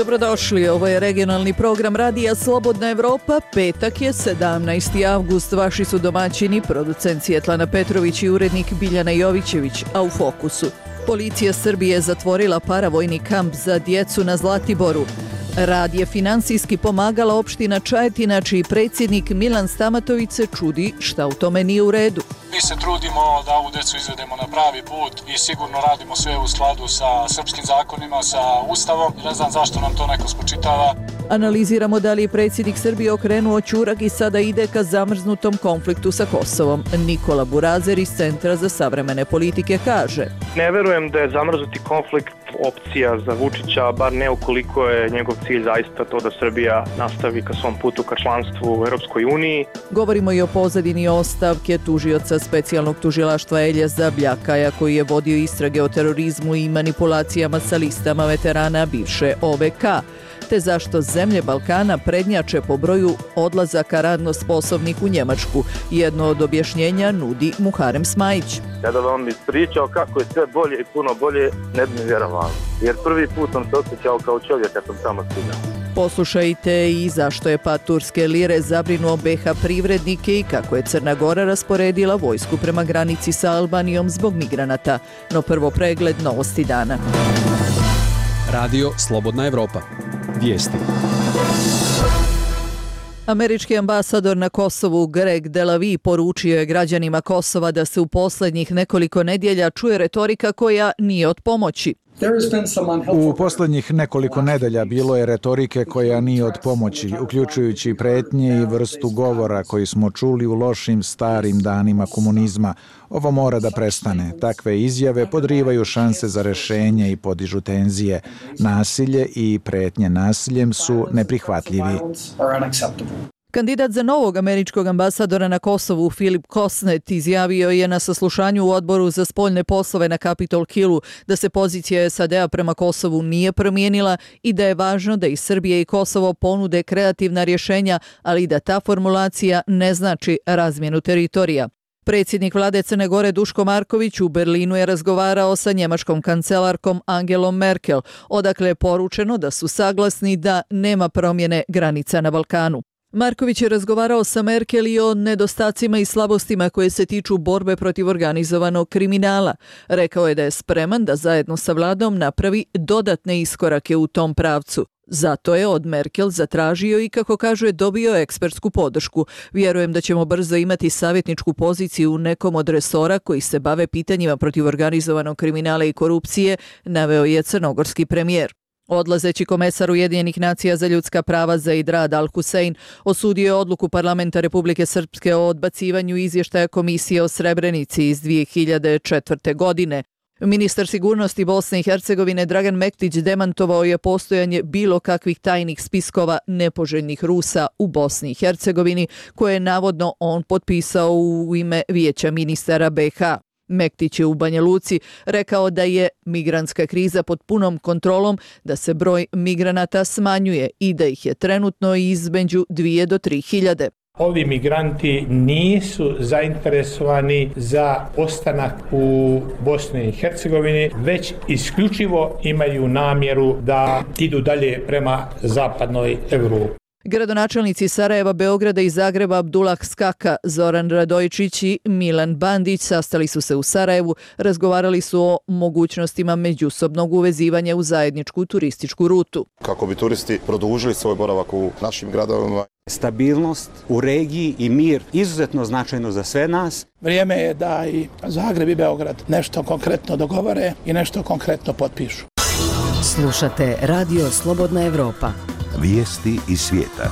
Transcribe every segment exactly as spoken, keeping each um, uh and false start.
Dobrodošli, ovo je regionalni program Radija Slobodna Evropa. Petak je sedamnaesti avgust. Vaši su domaćini, producent Svjetlana Petrović i urednik Biljana Jovićević, a u fokusu. Policija Srbije zatvorila paravojni kamp za djecu na Zlatiboru. Rad je finansijski pomagala opština Čajetina, čiji predsjednik Milan Stamatović se čudi šta u tome nije u redu. Mi se trudimo da ovu djecu izvedemo na pravi put i sigurno radimo sve u skladu sa srpskim zakonima, sa Ustavom. Ne znam zašto nam to neko spočitava. Analiziramo da li je predsjednik Srbije okrenuo ćurak i sada ide ka zamrznutom konfliktu sa Kosovom. Nikola Burazer iz Centra za savremene politike kaže: Ne verujem da je zamrznuti konflikt opcija za Vučića, bar ne ukoliko je njegov cilj zaista to da Srbija nastavi ka svom putu ka članstvu u Europskoj uniji. Govorimo i o pozadini ostavke tužioca specijalnog tužilaštva Eljeza Bljakaja, koji je vodio istrage o terorizmu i manipulacijama sa listama veterana bivše O V K, te zašto zemlje Balkana prednjače po broju odlazaka radno sposobnih u Njemačku. Jedno od objašnjenja nudi Muharem Smajić. Kada vam ispričao kako je sve bolje i puno bolje, ne bi mi vjerovali. Jer prvi put sam se osjećao kao čovjek kad sam tamo stigao. Poslušajte i zašto je pad turske lire zabrinuo B H privrednike i kako je Crna Gora rasporedila vojsku prema granici sa Albanijom zbog migranata. No prvo pregled novosti dana. Radio Slobodna Evropa. Vijesti. Američki ambasador na Kosovu Greg Delavi poručio je građanima Kosova da se u posljednjih nekoliko nedjelja čuje retorika koja nije od pomoći. U posljednjih nekoliko nedelja bilo je retorike koja nije od pomoći, uključujući pretnje i vrstu govora koji smo čuli u lošim starim danima komunizma. Ovo mora da prestane. Takve izjave podrivaju šanse za rešenje i podižu tenzije. Nasilje i pretnje nasiljem su neprihvatljivi. Kandidat za novog američkog ambasadora na Kosovu Filip Kosnet izjavio je na saslušanju u odboru za spoljne poslove na Capitol Hillu da se pozicija S A D-a prema Kosovu nije promijenila i da je važno da i Srbija i Kosovo ponude kreativna rješenja, ali da ta formulacija ne znači razmjenu teritorija. Predsjednik vlade Crne Gore Duško Marković u Berlinu je razgovarao sa njemačkom kancelarkom Angelom Merkel, odakle je poručeno da su saglasni da nema promjene granica na Balkanu. Marković je razgovarao sa Merkel i o nedostacima i slabostima koje se tiču borbe protiv organizovanog kriminala. Rekao je da je spreman da zajedno sa vladom napravi dodatne iskorake u tom pravcu. Zato je od Merkel zatražio i, kako kaže, dobio ekspertsku podršku. Vjerujem da ćemo brzo imati savjetničku poziciju u nekom od resora koji se bave pitanjima protiv organizovanog kriminala i korupcije, naveo je crnogorski premijer. Odlazeći komesar Ujedinjenih nacija za ljudska prava Zaid Rad Al-Hussein osudio je odluku parlamenta Republike Srpske o odbacivanju izvještaja komisije o Srebrenici iz dvije hiljade četvrte. godine. Ministar sigurnosti Bosne i Hercegovine Dragan Mektić demantovao je postojanje bilo kakvih tajnih spiskova nepoželjnih Rusa u Bosni i Hercegovini, koje je navodno on potpisao u ime Vijeća ministara B H. Mektić je u Banja Luci rekao da je migrantska kriza pod punom kontrolom, da se broj migranata smanjuje i da ih je trenutno između dvije do tri hiljade. Ovi migranti nisu zainteresovani za ostanak u Bosni i Hercegovini, već isključivo imaju namjeru da idu dalje prema zapadnoj Evropi. Gradonačelnici Sarajeva, Beograda i Zagreba Abdullah Skaka, Zoran Radojčić i Milan Bandić sastali su se u Sarajevu, razgovarali su o mogućnostima međusobnog uvezivanja u zajedničku turističku rutu. Kako bi turisti produžili svoj boravak u našim gradovima. Stabilnost u regiji i mir izuzetno značajno za sve nas. Vrijeme je da i Zagreb i Beograd nešto konkretno dogovore i nešto konkretno potpišu. Slušate Radio Slobodna Evropa. Vijesti iz svijeta.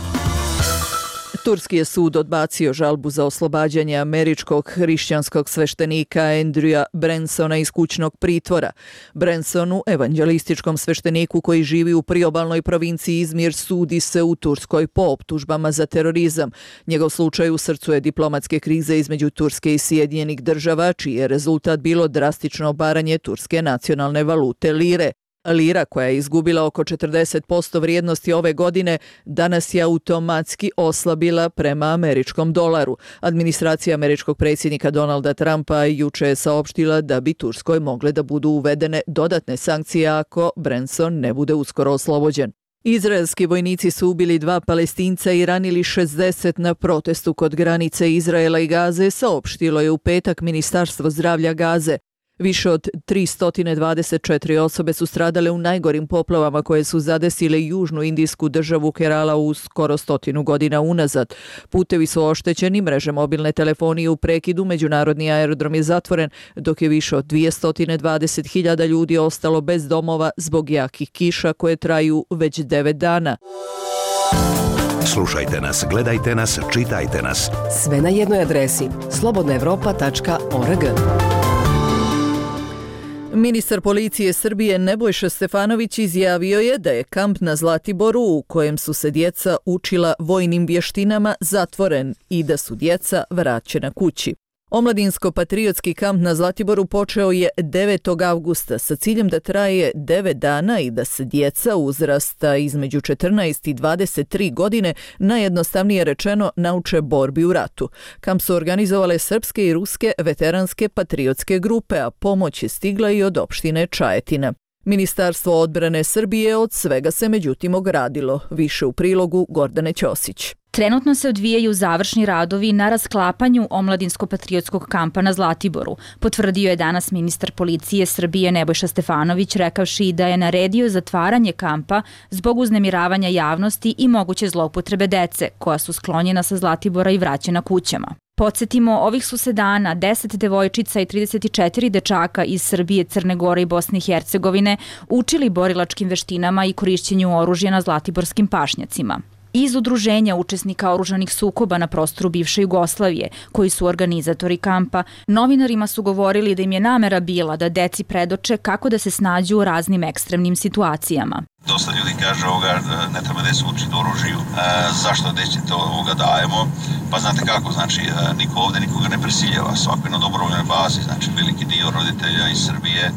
Turski je sud odbacio žalbu za oslobađanje američkog hrišćanskog sveštenika Andrewa Bransona iz kućnog pritvora. Bransonu, evanđelističkom svešteniku koji živi u priobalnoj provinciji Izmir, sudi se u Turskoj po optužbama za terorizam. Njegov slučaj u srcu je diplomatske krize između Turske i Sjedinjenih država, čiji je rezultat bilo drastično obaranje turske nacionalne valute lire. Lira, koja je izgubila oko četrdeset posto vrijednosti ove godine, danas je automatski oslabila prema američkom dolaru. Administracija američkog predsjednika Donalda Trumpa juče je saopštila da bi Turskoj mogle da budu uvedene dodatne sankcije ako Branson ne bude uskoro oslobođen. Izraelski vojnici su ubili dva Palestinca i ranili šezdeset na protestu kod granice Izraela i Gaze, saopštilo je u petak Ministarstvo zdravlja Gaze. Više od tristo dvadeset četiri osobe su stradale u najgorim poplavama koje su zadesile južnu indijsku državu Kerala u skoro stotinu godina unazad. Putevi su oštećeni, mreže mobilne telefonije u prekidu, međunarodni aerodrom je zatvoren, dok je više od dvjesto dvadeset hiljada ljudi ostalo bez domova zbog jakih kiša koje traju već devet dana. Slušajte nas, gledajte nas, čitajte nas. Sve na jednoj adresi slobodna evropa tačka org. Ministar policije Srbije Nebojša Stefanović izjavio je da je kamp na Zlatiboru u kojem su se djeca učila vojnim vještinama zatvoren i da su djeca vraćena kući. Omladinsko-patriotski kamp na Zlatiboru počeo je devetog avgusta sa ciljem da traje devet dana i da se djeca uzrasta između četrnaest i dvadeset tri godine, najjednostavnije rečeno, nauče borbi u ratu. Kamp su organizovale srpske i ruske veteranske patriotske grupe, a pomoć je stigla i od opštine Čajetina. Ministarstvo odbrane Srbije od svega se međutim ogradilo. Više u prilogu Gordane Ćosić. Trenutno se odvijaju završni radovi na rasklapanju omladinsko-patriotskog kampa na Zlatiboru, potvrdio je danas ministar policije Srbije Nebojša Stefanović, rekavši da je naredio zatvaranje kampa zbog uznemiravanja javnosti i moguće zloupotrebe dece, koja su sklonjena sa Zlatibora i vraćena kućama. Podsjetimo, ovih su se dana deset devojčica i trideset četiri dečaka iz Srbije, Crne Gore i Bosne i Hercegovine učili borilačkim veštinama i korišćenju oružja na zlatiborskim pašnjacima. Iz udruženja učesnika oružanih sukoba na prostoru bivše Jugoslavije, koji su organizatori kampa, novinarima su govorili da im je namera bila da deci predoče kako da se snađu u raznim ekstremnim situacijama. Dosta ljudi kaže ovoga, ne treba da se učiti oružju. E, zašto deći to ovoga dajemo? Pa znate kako, znači niko ovdje nikoga ne prisiljava, svako je na dobrovoljnoj bazi, znači veliki dio roditelja iz Srbije e,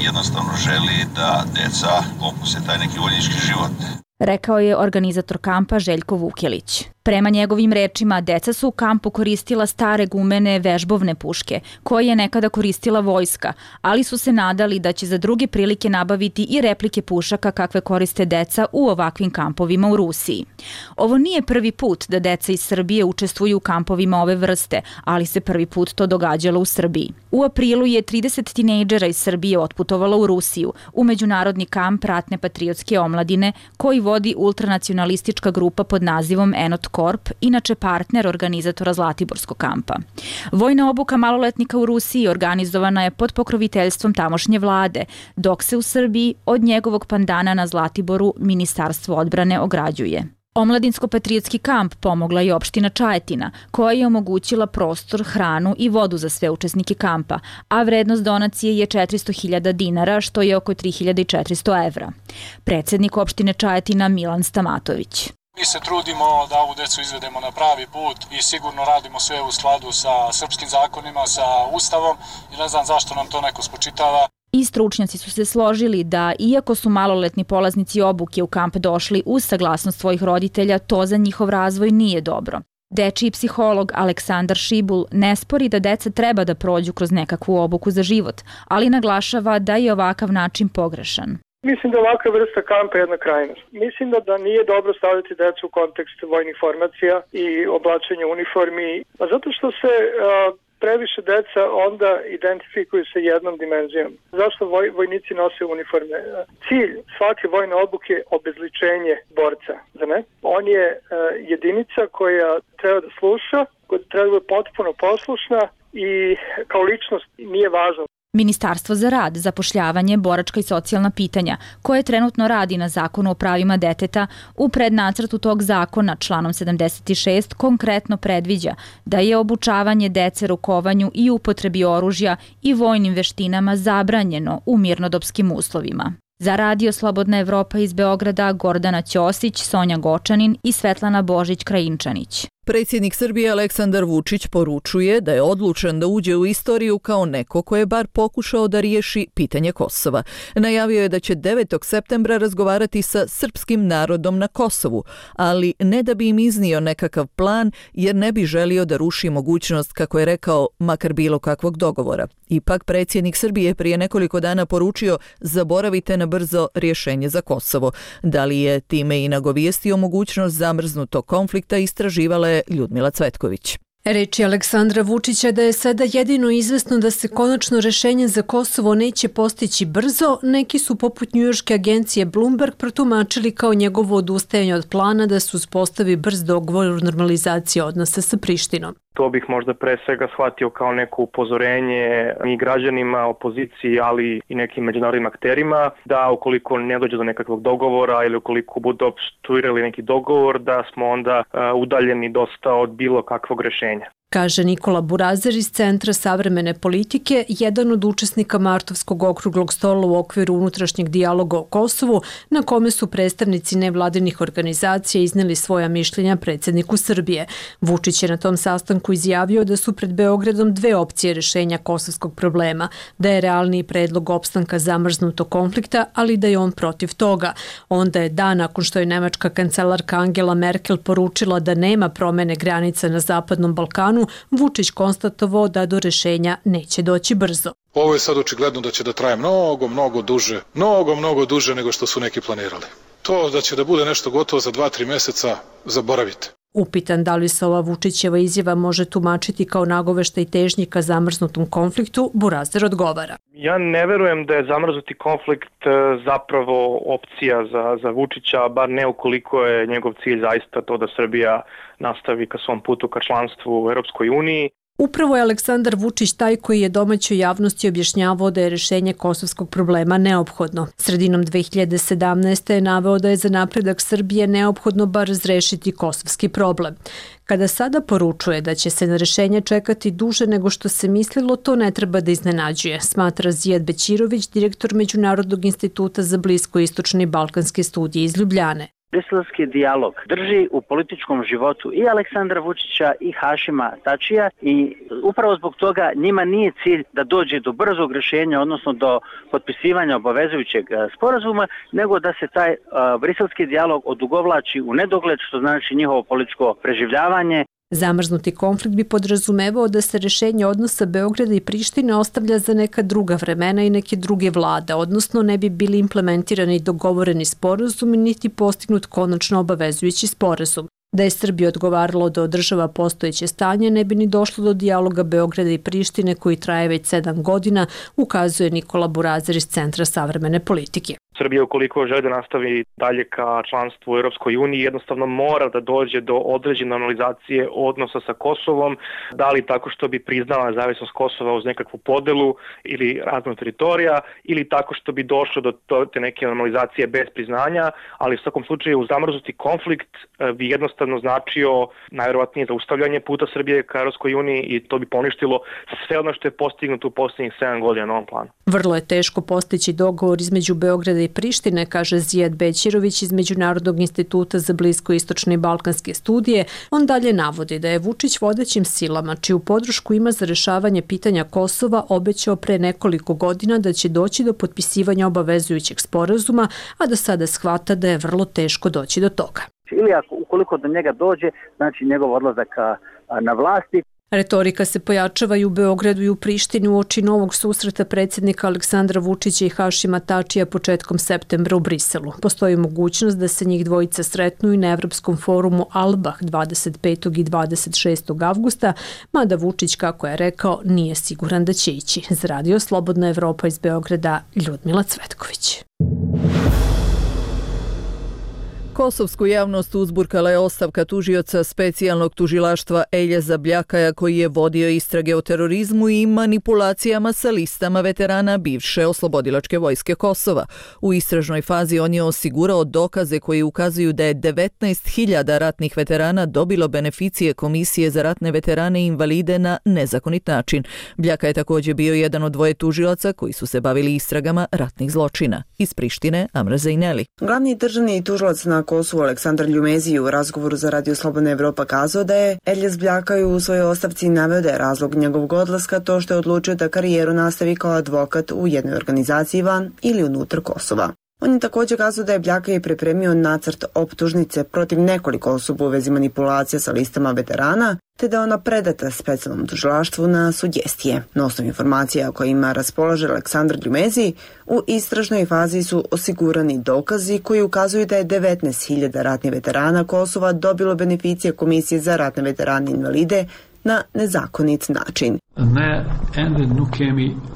jednostavno želi da deca okuse taj neki vojnički život. Rekao je organizator kampa Željko Vukelić. Prema njegovim rečima, deca su u kampu koristila stare gumene vežbovne puške, koje je nekada koristila vojska, ali su se nadali da će za druge prilike nabaviti i replike pušaka kakve koriste deca u ovakvim kampovima u Rusiji. Ovo nije prvi put da deca iz Srbije učestvuju u kampovima ove vrste, ali se prvi put to događalo u Srbiji. U aprilu je trideset tinejdžera iz Srbije otputovalo u Rusiju, u međunarodni kamp ratne patriotske omladine, koji vodi ultranacionalistička grupa pod nazivom Enot Korp, inače partner organizatora Zlatiborskog kampa. Vojna obuka maloletnika u Rusiji organizovana je pod pokroviteljstvom tamošnje vlade, dok se u Srbiji od njegovog pandana na Zlatiboru Ministarstvo odbrane ograđuje. Omladinsko-patriotski kamp pomogla je opština Čajetina, koja je omogućila prostor, hranu i vodu za sve učesnike kampa, a vrednost donacije je četiristo hiljada dinara, što je oko tri hiljade četiristo evra. Predsjednik opštine Čajetina Milan Stamatović. Mi se trudimo da ovu decu izvedemo na pravi put i sigurno radimo sve u skladu sa srpskim zakonima, sa Ustavom i ne znam zašto nam to neko spočitava. I stručnjaci su se složili da, iako su maloletni polaznici obuke u kamp došli uz saglasnost svojih roditelja, to za njihov razvoj nije dobro. Dečiji psiholog Aleksandar Šibul ne spori da deca treba da prođu kroz nekakvu obuku za život, ali naglašava da je ovakav način pogrešan. Mislim da ovakva vrsta kampa je jedna krajnost. Mislim da, da nije dobro staviti decu u kontekst vojnih formacija i oblačenja uniformi, a zato što se uh, previše deca onda identifikuju sa jednom dimenzijom. Zašto voj, vojnici nose uniforme? Cilj svake vojne obuke je obezličenje borca, da ne? On je uh, jedinica koja treba da sluša, koja treba da je potpuno poslušna i kao ličnost nije važna. Ministarstvo za rad, zapošljavanje, boračka i socijalna pitanja, koje trenutno radi na zakonu o pravima deteta, u prednacrtu tog zakona članom sedamdeset šest konkretno predviđa da je obučavanje dece rukovanju i upotrebi oružja i vojnim veštinama zabranjeno u mirnodopskim uslovima. Za Radio Slobodna Evropa iz Beograda Gordana Ćosić, Sonja Gočanin i Svetlana Božić-Krajinčanić. Predsjednik Srbije Aleksandar Vučić poručuje da je odlučan da uđe u istoriju kao neko ko je bar pokušao da riješi pitanje Kosova. Najavio je da će devetog septembra razgovarati sa srpskim narodom na Kosovu, ali ne da bi im iznio nekakav plan jer ne bi želio da ruši mogućnost, kako je rekao, makar bilo kakvog dogovora. Ipak predsjednik Srbije prije nekoliko dana poručio zaboravite na brzo rješenje za Kosovo. Da li je time i nagovijestio mogućnost zamrznutog konflikta istraživala je Ljudmila Cvetković. Reči Aleksandra Vučića da je sada jedino izvesno da se konačno rešenje za Kosovo neće postići brzo, neki su poput njujorške agencije Bloomberg protumačili kao njegovo odustajanje od plana da se uspostavi brz dogovor o normalizaciji odnosa sa Prištinom. To bih možda pre svega shvatio kao neko upozorenje i građanima, opoziciji, ali i nekim međunarodnim akterima, da ukoliko ne dođe do nekakvog dogovora ili ukoliko budu opstruirali neki dogovor, da smo onda uh, udaljeni dosta od bilo kakvog rešenja. Kaže Nikola Burazer iz Centra savremene politike, jedan od učesnika Martovskog okruglog stola u okviru unutrašnjeg dijaloga o Kosovu, na kome su predstavnici nevladinih organizacija izneli svoja mišljenja predsjedniku Srbije. Vučić je na tom sastanku izjavio da su pred Beogradom dve opcije rešenja kosovskog problema, da je realniji predlog opstanka zamrznutog konflikta, ali da je on protiv toga. Onda je dan nakon što je nemačka kancelarka Angela Merkel poručila da nema promene granica na Zapadnom Balkanu, Vučić konstatovao da do rešenja neće doći brzo. Ovo je sad očigledno da će da traje mnogo, mnogo duže, mnogo, mnogo duže nego što su neki planirali. To da će da bude nešto gotovo za dva, tri mjeseca, zaboravite. Upitan da li se ova Vučićeva izjava može tumačiti kao nagoveštaj težnji ka zamrznutom konfliktu, Burazer odgovara. Ja ne verujem da je zamrznuti konflikt zapravo opcija za, za Vučića, bar ne ukoliko je njegov cilj zaista to da Srbija nastavi ka svom putu ka članstvu u Europskoj uniji. Upravo je Aleksandar Vučić taj koji je domaćoj javnosti objašnjavao da je rešenje kosovskog problema neophodno. Sredinom dve hiljade sedamnaeste. je naveo da je za napredak Srbije neophodno bar razrešiti kosovski problem. Kada sada poručuje da će se na rešenje čekati duže nego što se mislilo, to ne treba da iznenađuje, smatra Zijad Bećirović, direktor Međunarodnog instituta za bliskoistočne i balkanske studije iz Ljubljane. Briselski dijalog drži u političkom životu i Aleksandra Vučića i Hašima Tačija i upravo zbog toga njima nije cilj da dođe do brzog rješenja, odnosno do potpisivanja obavezujućeg sporazuma, nego da se taj uh, briselski dijalog odugovlači u nedogled, što znači njihovo političko preživljavanje. Zamrznuti konflikt bi podrazumevao da se rešenje odnosa Beograda i Prištine ostavlja za neka druga vremena i neke druge vlade, odnosno ne bi bili implementirani dogovoreni sporazum niti postignut konačno obavezujući sporazum. Da je Srbija odgovaralo da održava postojeće stanje, ne bi ni došlo do dijaloga Beograda i Prištine koji traje već sedam godina, ukazuje Nikola Burazer iz Centra savremene politike. Srbija ukoliko želi da nastavi dalje ka članstvu u Europskoj uniji jednostavno mora da dođe do određene normalizacije odnosa sa Kosovom, da li tako što bi priznala nezavisnost Kosova uz nekakvu podelu ili razmenu teritorija ili tako što bi došlo do te neke normalizacije bez priznanja, ali u svakom slučaju zamrznuti konflikt bi jednostavno značio najvjerovatnije zaustavljanje puta Srbije ka Europskoj uniji i to bi poništilo sve ono što je postignuto u posljednjih sedam godina na ovom planu. Vrlo je teško postići dogovor između Beograda i Prištine, kaže Zijad Bećirović iz Međunarodnog instituta za bliskoistočne i balkanske studije. On dalje navodi da je Vučić vodećim silama, čiju podršku ima za rešavanje pitanja Kosova, obećao pre nekoliko godina da će doći do potpisivanja obavezujućeg sporazuma, a da sada shvata da je vrlo teško doći do toga. Ili ako, ukoliko do njega dođe, znači njegov odlazak na vlasti. Retorika se pojačava i u Beogradu i u Prištini uoči novog susreta predsjednika Aleksandra Vučića i Hašima Tačija početkom septembra u Briselu. Postoji mogućnost da se njih dvojica sretnu i na Evropskom forumu Albah dvadeset petog i dvadeset šestog avgusta, mada Vučić, kako je rekao, nije siguran da će ići. Za Radio Slobodna Evropa iz Beograda, Ljudmila Cvetković. Kosovsku javnost uzburkala je ostavka tužioca specijalnog tužilaštva Eljeza Bljakaja koji je vodio istrage o terorizmu i manipulacijama sa listama veterana bivše oslobodilačke vojske Kosova. U istražnoj fazi on je osigurao dokaze koji ukazuju da je devetnaest hiljada ratnih veterana dobilo beneficije Komisije za ratne veterane i invalide na nezakonit način. Bljaka je također bio jedan od dvoje tužilaca koji su se bavili istragama ratnih zločina. Iz Prištine, Amra Zejneli. Glavni državni tužilac na Kosovu Aleksandar Ljumezi u razgovoru za Radio Slobodna Evropa kazao da je Eljas Bljaka u svojoj ostavci naveo da je razlog njegovog odlaska to što je odlučio da karijeru nastavi kao advokat u jednoj organizaciji van ili unutar Kosova. On je također kazao da je Bljaka i pripremio nacrt optužnice protiv nekoliko osoba u vezi manipulacija sa listama veterana, te da je ona predata specijalnom tužilaštvu na sugestije. Na osnovu informacija kojima raspolaže Aleksandar Ljumezi, u istražnoj fazi su osigurani dokazi koji ukazuju da je devetnaest hiljada ratnih veterana Kosova dobilo beneficije Komisije za ratne veterane i invalide na nezakonit način.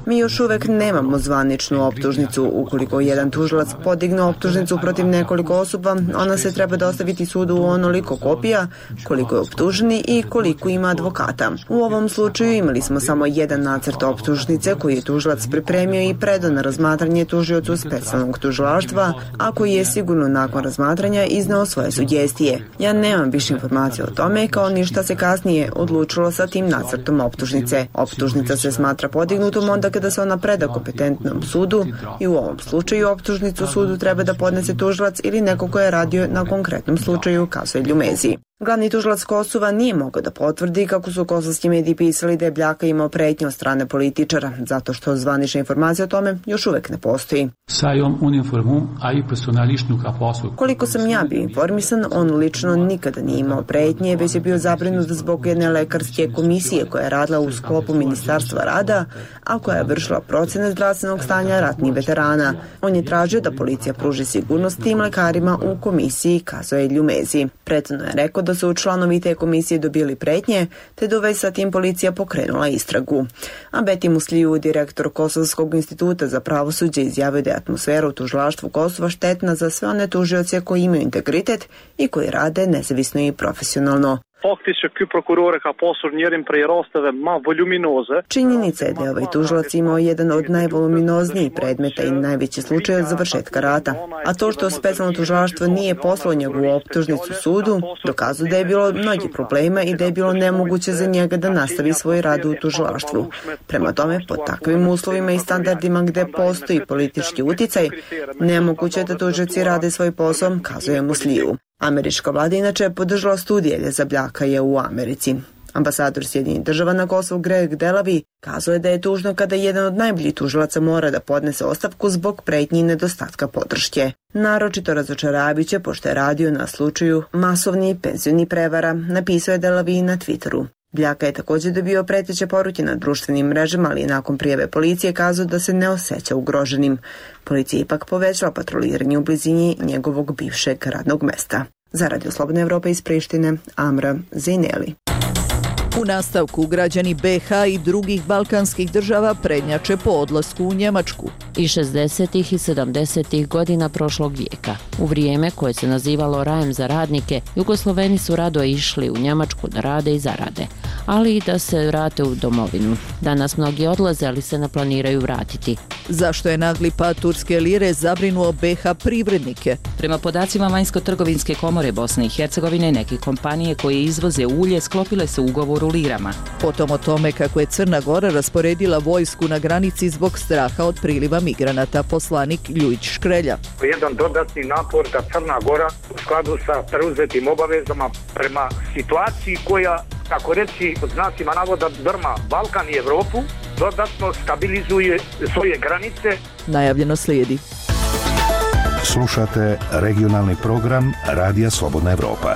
Mi još uvek nemamo zvaničnu optužnicu. Ukoliko jedan tužilac podigne optužnicu protiv nekoliko osoba, ona se treba dostaviti sudu u onoliko kopija koliko je optuženi i koliko ima advokata. U ovom slučaju imali smo samo jedan nacrt optužnice koji je tužilac pripremio i predao na razmatranje tužiocu specijalnog tužilaštva, a koji je sigurno nakon razmatranja izneo svoje sugestije. Ja nemam više informacija o tome, kao ni šta se kasnije odlučilo sa tim nacrtom optužnice. Optužnica se smatra podignutom onda kada se ona preda kompetentnom sudu i u ovom slučaju optužnicu sudu treba da podnese tužilac ili neko ko je radio na konkretnom slučaju, kazuje Ljumezi. Glavni tužilac Kosova nije mogao da potvrdi kako su kosovski mediji pisali da je Bljaka imao pretnje od strane političara, zato što zvanična informacija o tome još uvek ne postoji. Koliko sam ja bio informisan, on lično nikada nije imao pretnje, već je bio zabrinut zbog jedne lekarske komisije koja je radila u sklopu Ministarstva rada, a koja je vršila procene zdravstvenog stanja ratnih veterana. On je tražio da policija pruži sigurnost tim lekarima u komisiji, kazuje Ljumezi. Prethodno je rekao da su članovi te komisije dobili pretnje, te da već sa tim policija pokrenula istragu. A Beti Musliju, direktor Kosovskog instituta za pravosuđe, izjavio da je atmosfera u tužilaštvu Kosova štetna za sve one tužioce koji imaju integritet i koji rade nezavisno i profesionalno. Činjenica je da je ovaj tužilac imao jedan od najvoluminoznijih predmeta i najveći slučaj od završetka rata, a to što specijalno tužilaštvo nije poslalo njegovu optužnicu sudu, dokazuje da je bilo mnogi problema i da je bilo nemoguće za njega da nastavi svoj rad u tužilaštvu. Prema tome, pod takvim uslovima i standardima gde postoji politički uticaj, nemoguće je da tužioci rade svoj posao, kazuje Musliju. Američka vlada inače podržala studije Eljasa Bljakaja u Americi. Ambasador Sjedinjenih država na Kosovu Greg Delavi kazao je da je tužno kada jedan od najboljih tužilaca mora da podnese ostavku zbog pretnji i nedostatka podrške. Naročito razočaravajuće pošto je radio na slučaju masovnih penzionih prevara, napisao je Delavi na Twitteru. Bljaka je također dobio preteće poruke na društvenim mrežama, ali nakon prijave policije kazao da se ne osjeća ugroženim. Policija ipak povećala patroliranje u blizini njegovog bivšeg radnog mesta. Za Radio Slobodna Evropa iz Prištine, Amra Zejneli. U nastavku građani be ha i drugih balkanskih država prednjače po odlasku u Njemačku. I šezdesetih i sedamdesetih godina prošlog vijeka, u vrijeme koje se nazivalo rajem za radnike, Jugosloveni su rado išli u Njemačku da rade i zarade, ali i da se vrate u domovinu. Danas mnogi odlaze, ali se ne planiraju vratiti. Zašto je nagli pad turske lire zabrinuo be ha privrednike? Prema podacima Vanjsko-trgovinske komore Bosne i Hercegovine, neke kompanije koje izvoze ulje sklopile se ugovor u lirama. Potom o tome kako je Crna Gora rasporedila vojsku na granici zbog straha od priliva migranata, poslanik Ljujić Škrelja. Jedan dodatni napor da Crna Gora u skladu sa preuzetim obavezama prema situaciji koja, tako reći, pod znacima navoda drma Balkan i Evropu, dodatno stabilizuje svoje granice. Najavljeno slijedi. Slušate regionalni program Radija Slobodna Evropa.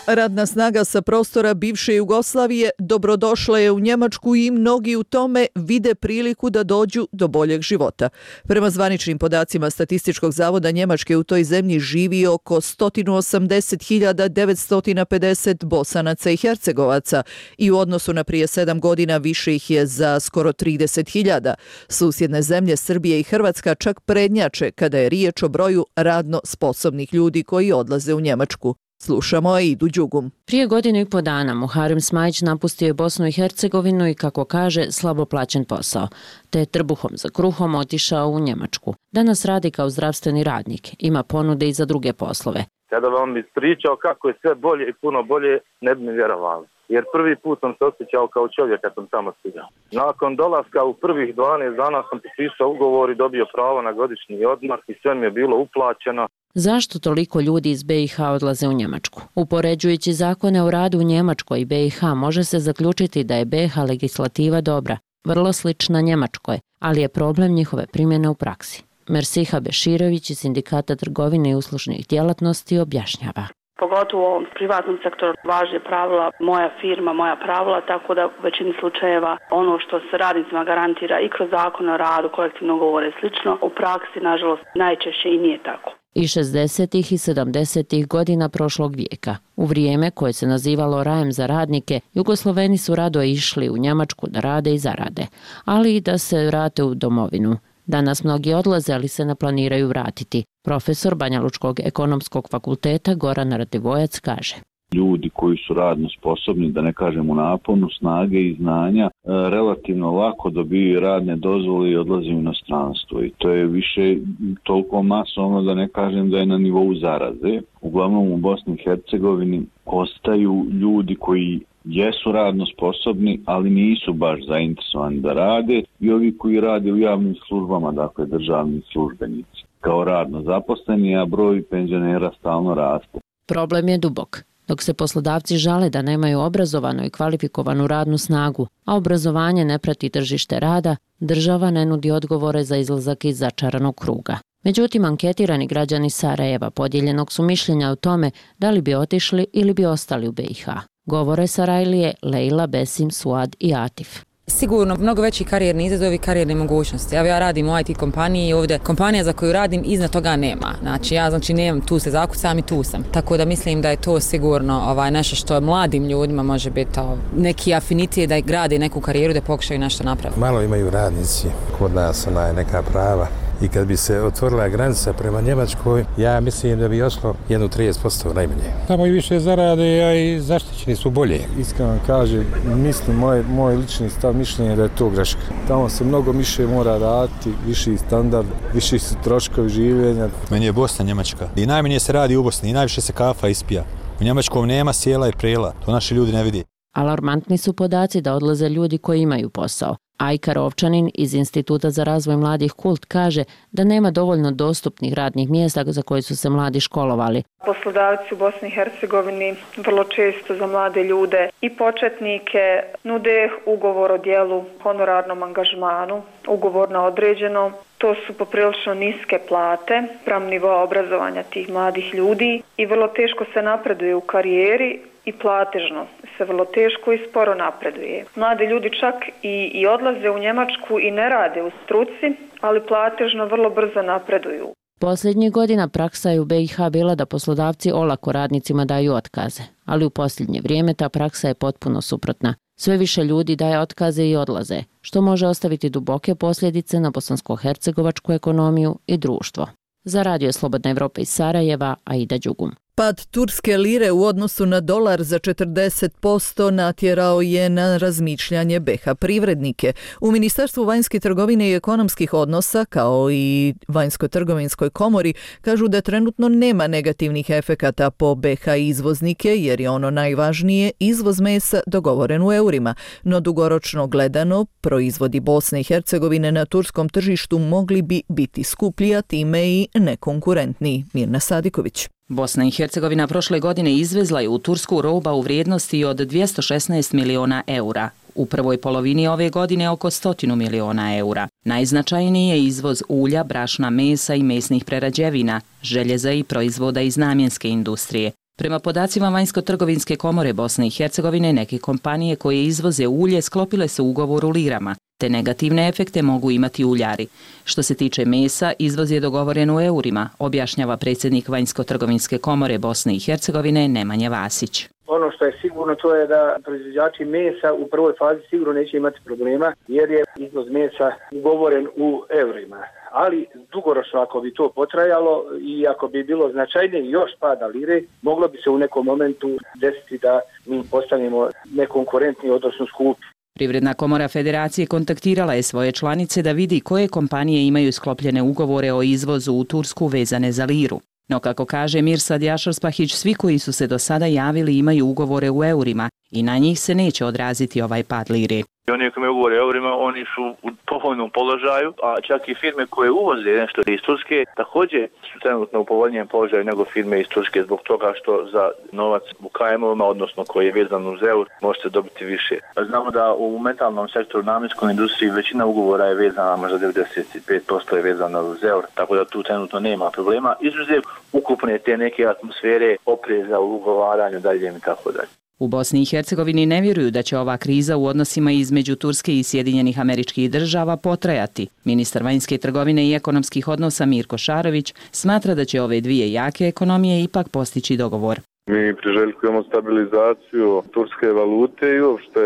Radna snaga sa prostora bivše Jugoslavije dobrodošla je u Njemačku i mnogi u tome vide priliku da dođu do boljeg života. Prema zvaničnim podacima Statističkog zavoda Njemačke u toj zemlji živi oko sto osamdeset hiljada devetsto pedeset Bosanaca i Hercegovaca i u odnosu na prije sedam godina više ih je za skoro trideset hiljada. Susjedne zemlje Srbije i Hrvatska čak prednjače kada je riječ o broju radno sposobnih ljudi koji odlaze u Njemačku. Slušamo Aidu Đugum. Prije godinu i po dana Muharem Smajić napustio je Bosnu i Hercegovinu i, kako kaže, slabo plaćen posao, te je trbuhom za kruhom otišao u Njemačku. Danas radi kao zdravstveni radnik, ima ponude i za druge poslove. Kada vam ispričao kako je sve bolje i puno bolje, ne bi mi vjerovali. jer prvi put sam se osjećao kao čovjek kad sam tamo stigao. Nakon dolaska u prvih dvanaest dana sam potpisao ugovor i dobio pravo na godišnji odmor i sve mi je bilo uplaćeno. Zašto toliko ljudi iz B i H odlaze u Njemačku? Upoređujući zakone o radu u Njemačkoj i B i H može se zaključiti da je B i H legislativa dobra, vrlo slična Njemačkoj, ali je problem njihove primjene u praksi. Mersiha Beširović iz Sindikata trgovine i uslužnih djelatnosti objašnjava. Pogotovo u ovom privatnom sektoru važe pravila moja firma, moja pravila, tako da u većini slučajeva ono što se radnicima garantira i kroz zakon o radu, kolektivno ugovore i slično, u praksi nažalost najčešće i nije tako. I šezdesetih i sedamdesetih godina prošlog vijeka, u vrijeme koje se nazivalo rajem za radnike, Jugosloveni su rado išli u Njemačku da rade i zarade, ali i da se vrate u domovinu. Danas mnogi odlaze, ali se ne planiraju vratiti. Profesor Banjalučkog ekonomskog fakulteta Goran Radivojac kaže. Ljudi koji su radno sposobni, da ne kažem u naponu, snage i znanja, relativno lako dobiju radne dozvole i odlaze u inostranstvo. I to je više toliko masovno da ne kažem da je na nivou zaraze. Uglavnom u Bosni i Hercegovini ostaju ljudi koji jesu radno sposobni, ali nisu baš zainteresovani da rade, i ovi koji rade u javnim službama, dakle državni službenici, kao radno zaposleni, a broj penzionera stalno raste. Problem je dubok. Dok se poslodavci žale da nemaju obrazovanu i kvalifikovanu radnu snagu, a obrazovanje ne prati tržište rada, država ne nudi odgovore za izlazak iz začaranog kruga. Međutim, anketirani građani Sarajeva podijeljenog su mišljenja o tome da li bi otišli ili bi ostali u B i H. Govore Sarajlije Lejla, Besim, Suad i Atif. Sigurno mnogo veći karijerni izazovi, karijerne mogućnosti. Evo ja radim u I T kompaniji i ovdje kompanija za koju radim iznad toga nema. Znači ja znači nemam tu se zakucam i tu sam. Tako da mislim da je to sigurno ovaj, nešto što mladim ljudima može biti ovaj, neki afinitet da grade neku karijeru, da pokušaju nešto napraviti. Malo imaju radnici kod nas onaj, neka prava. I kad bi se otvorila granica prema Njemačkoj, ja mislim da bi oslo jedno trideset posto najmanje. Tamo i više zarade, a i zaštićeni su bolje. Iskreno kažem, mislim, moj, moj lični stav mišljenje da je to greška. Tamo se mnogo više mora raditi, viši standard, viši su troškovi življenja. Meni je Bosna Njemačka. I najmanje se radi u Bosni, i najviše se kafa ispija. U Njemačkom nema sjela i prela, to naši ljudi ne vidi. Alarmantni su podaci da odlaze ljudi koji imaju posao. Ajka Rovčanin iz Instituta za razvoj mladih Kult kaže da nema dovoljno dostupnih radnih mjesta za koje su se mladi školovali. Poslodavci u Bosni i Hercegovini vrlo često za mlade ljude i početnike nude ugovor o djelu, honorarnom angažmanu, ugovor na određeno. To su poprilično niske plate, spram nivoa obrazovanja tih mladih ljudi i vrlo teško se napreduje u karijeri i platežno se vrlo teško i sporo napreduje. Mladi ljudi čak i, i odlaze u Njemačku i ne rade u struci, ali platežno vrlo brzo napreduju. Posljednjih godina praksa je u B i H bila da poslodavci olako radnicima daju otkaze, ali u posljednje vrijeme ta praksa je potpuno suprotna. Sve više ljudi daje otkaze i odlaze, što može ostaviti duboke posljedice na bosansko-hercegovačku ekonomiju i društvo. Za Radio Slobodna Evropa iz Sarajeva, Aida Đugum. Pad turske lire u odnosu na dolar za četrdeset posto natjerao je na razmišljanje B i H privrednike. U Ministarstvu vanjske trgovine i ekonomskih odnosa, kao i Vanjsko-trgovinskoj komori, kažu da trenutno nema negativnih efekata po B i H izvoznike, jer je ono najvažnije izvoz mesa dogovoren u eurima. No dugoročno gledano, proizvodi Bosne i Hercegovine na turskom tržištu mogli bi biti skuplji, a time i nekonkurentniji. Mirna Sadiković. Bosna i Hercegovina prošle godine izvezla je u Tursku roba u vrijednosti od dvjesto šesnaest miliona eura. U prvoj polovini ove godine oko sto miliona eura. Najznačajniji je izvoz ulja, brašna, mesa i mesnih prerađevina, željeza i proizvoda iz namjenske industrije. Prema podacima Vanjsko-trgovinske komore Bosne i Hercegovine, neke kompanije koje izvoze ulje sklopile su ugovor u lirama. Te negativne efekte mogu imati uljari. Što se tiče mesa, izvoz je dogovoren u eurima, objašnjava predsjednik Vanjsko-trgovinske komore Bosne i Hercegovine Nemanja Vasić. Ono što je sigurno to je da proizvođači mesa u prvoj fazi sigurno neće imati problema jer je izvoz mesa ugovoren u eurima. Ali dugoročno ako bi to potrajalo i ako bi bilo značajnije još pada lire, moglo bi se u nekom momentu desiti da mi postanemo nekonkurentni, odnosno skupi. Privredna komora federacije kontaktirala je svoje članice da vidi koje kompanije imaju sklopljene ugovore o izvozu u Tursku vezane za liru. No kako kaže Mirsad Jašarspahić, svi koji su se do sada javili imaju ugovore u eurima i na njih se neće odraziti ovaj pad lire. I oni koji me govore o eurima, oni su u povoljnom položaju, a čak i firme koje uvoze nešto iz Turske također su trenutno u povoljnijem položaju nego firme iz Turske zbog toga što za novac u K M ovima, odnosno koji je vezan uz eur, možete dobiti više. Znamo da u metalnom sektoru, namjenskoj industriji, većina ugovora je vezana, možda devedeset pet posto je vezana uz eur, tako da tu trenutno nema problema. Izuzev ukupne te neke atmosfere, opreza u ugovaranju, daljem i tako dalje. U Bosni i Hercegovini ne vjeruju da će ova kriza u odnosima između Turske i Sjedinjenih Američkih Država potrajati. Ministar vanjske trgovine i ekonomskih odnosa Mirko Šarović smatra da će ove dvije jake ekonomije ipak postići dogovor. Mi priželjkujemo stabilizaciju turske valute i uopšte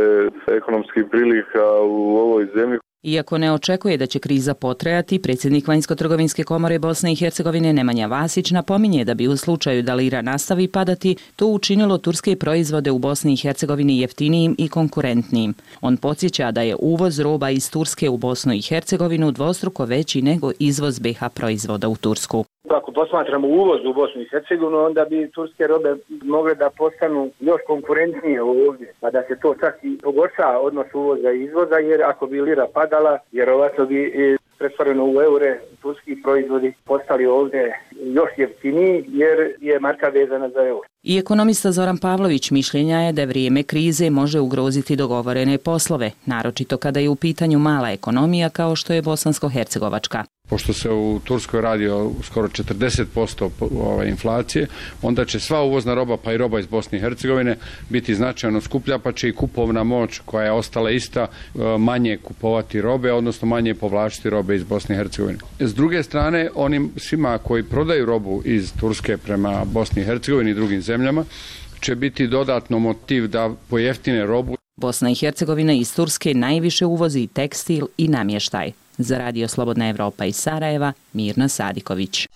ekonomskih prilika u ovoj zemlji. Iako ne očekuje da će kriza potrajati, predsjednik Vanjsko-trgovinske komore Bosne i Hercegovine Nemanja Vasić napominje da bi u slučaju da lira nastavi padati, to učinilo turske proizvode u Bosni i Hercegovini jeftinijim i konkurentnijim. On podsjeća da je uvoz roba iz Turske u Bosnu i Hercegovinu dvostruko veći nego izvoz B iH proizvoda u Tursku. Ako posmatramo uvoz u Bosnu i Hercegovinu, onda bi turske robe mogle da postanu još konkurentnije ovdje, pa da se to čak i pogorša odnos uvoza i izvoza, jer ako bi lira padala, vjerovatno bi pretvoreno u eure turski proizvodi postali ovdje još jeftiniji, jer je marka vezana za eur. I ekonomista Zoran Pavlović mišljenja je da vrijeme krize može ugroziti dogovorene poslove, naročito kada je u pitanju mala ekonomija kao što je bosansko-hercegovačka. Pošto se u Turskoj radi o skoro četrdeset posto inflacije, onda će sva uvozna roba, pa i roba iz Bosne i Hercegovine, biti značajno skuplja, pa će i kupovna moć koja je ostala ista manje kupovati robe, odnosno manje povlačiti robe iz Bosne i Hercegovine. S druge strane, onim svima koji prodaju robu iz Turske prema Bosni i Hercegovini i drugim zemljama, će biti dodatno motiv da pojeftine robu. Bosna i Hercegovina iz Turske najviše uvozi tekstil i namještaj. Za Radio Slobodna Evropa iz Sarajeva, Mirna Sadiković.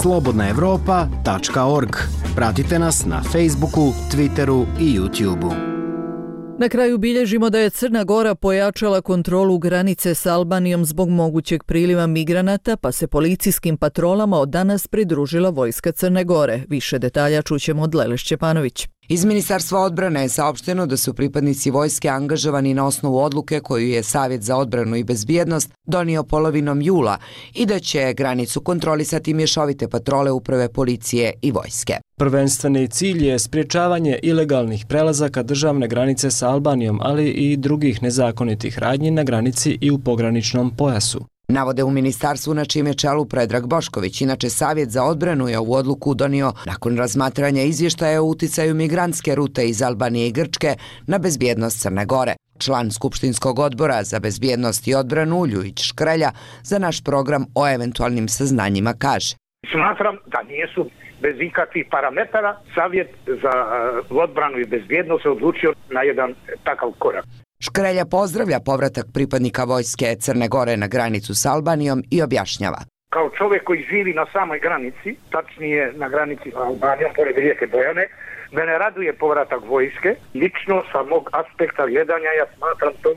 slobodna evropa tačka org. Pratite nas na Facebooku, Twitteru i YouTubeu. Na kraju bilježimo da je Crna Gora pojačala kontrolu granice s Albanijom zbog mogućeg priliva migranata, pa se policijskim patrolama od danas pridružila vojska Crne Gore. Više detalja čućemo od Lele Šćepanović. Iz Ministarstva odbrane je saopšteno da su pripadnici vojske angažovani na osnovu odluke koju je Savjet za odbranu i bezbjednost donio polovinom jula i da će granicu kontrolisati mješovite patrole uprave policije i vojske. Prvenstveni cilj je sprječavanje ilegalnih prelazaka državne granice sa Albanijom, ali i drugih nezakonitih radnji na granici i u pograničnom pojasu. Navode u ministarstvu na čijem je čelu Predrag Bošković. Inače, Savjet za odbranu je ovu odluku donio nakon razmatranja izvještaja o uticaju migrantske rute iz Albanije i Grčke na bezbjednost Crne Gore. Član Skupštinskog odbora za bezbjednost i odbranu Ljujić Škrelja za naš program o eventualnim saznanjima kaže: Smatram da nisu bez ikakvih parametara Savjet za odbranu i bezbjednost se odlučio na jedan takav korak. Škrelja pozdravlja povratak pripadnika vojske Crne Gore na granicu s Albanijom i objašnjava. Kao čovjek koji živi na samoj granici, tačnije na granici s Albanijom, pored rijeke Bojane, mene raduje povratak vojske. Lično sa mog aspekta gledanja ja smatram to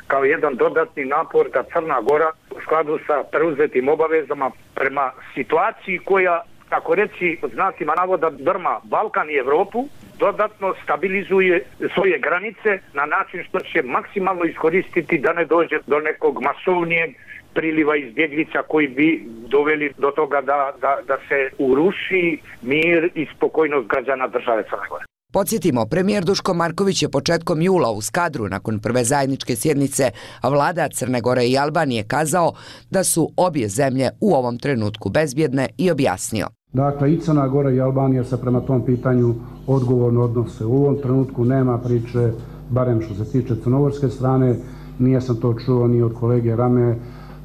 kao jedan dodatni napor da Crna Gora u skladu sa preuzetim obavezama prema situaciji koja, tako reći, od znacima navoda drma Balkan i Evropu, dodatno stabilizuje svoje granice na način što će maksimalno iskoristiti da ne dođe do nekog masovnijeg priliva izbjeglica koji bi doveli do toga da, da, da se uruši mir i spokojnost građana države Crne Gore. Podsjetimo, premijer Duško Marković je početkom jula u Skadru nakon prve zajedničke sjednice vlada Crne Gore i Albanije kazao da su obje zemlje u ovom trenutku bezbjedne i objasnio: Dakle, i Crna Gora i Albanija se prema tom pitanju odgovorno odnose. U ovom trenutku nema priče, barem što se tiče crnogorske strane, nije sam to čuo ni od kolege Rame,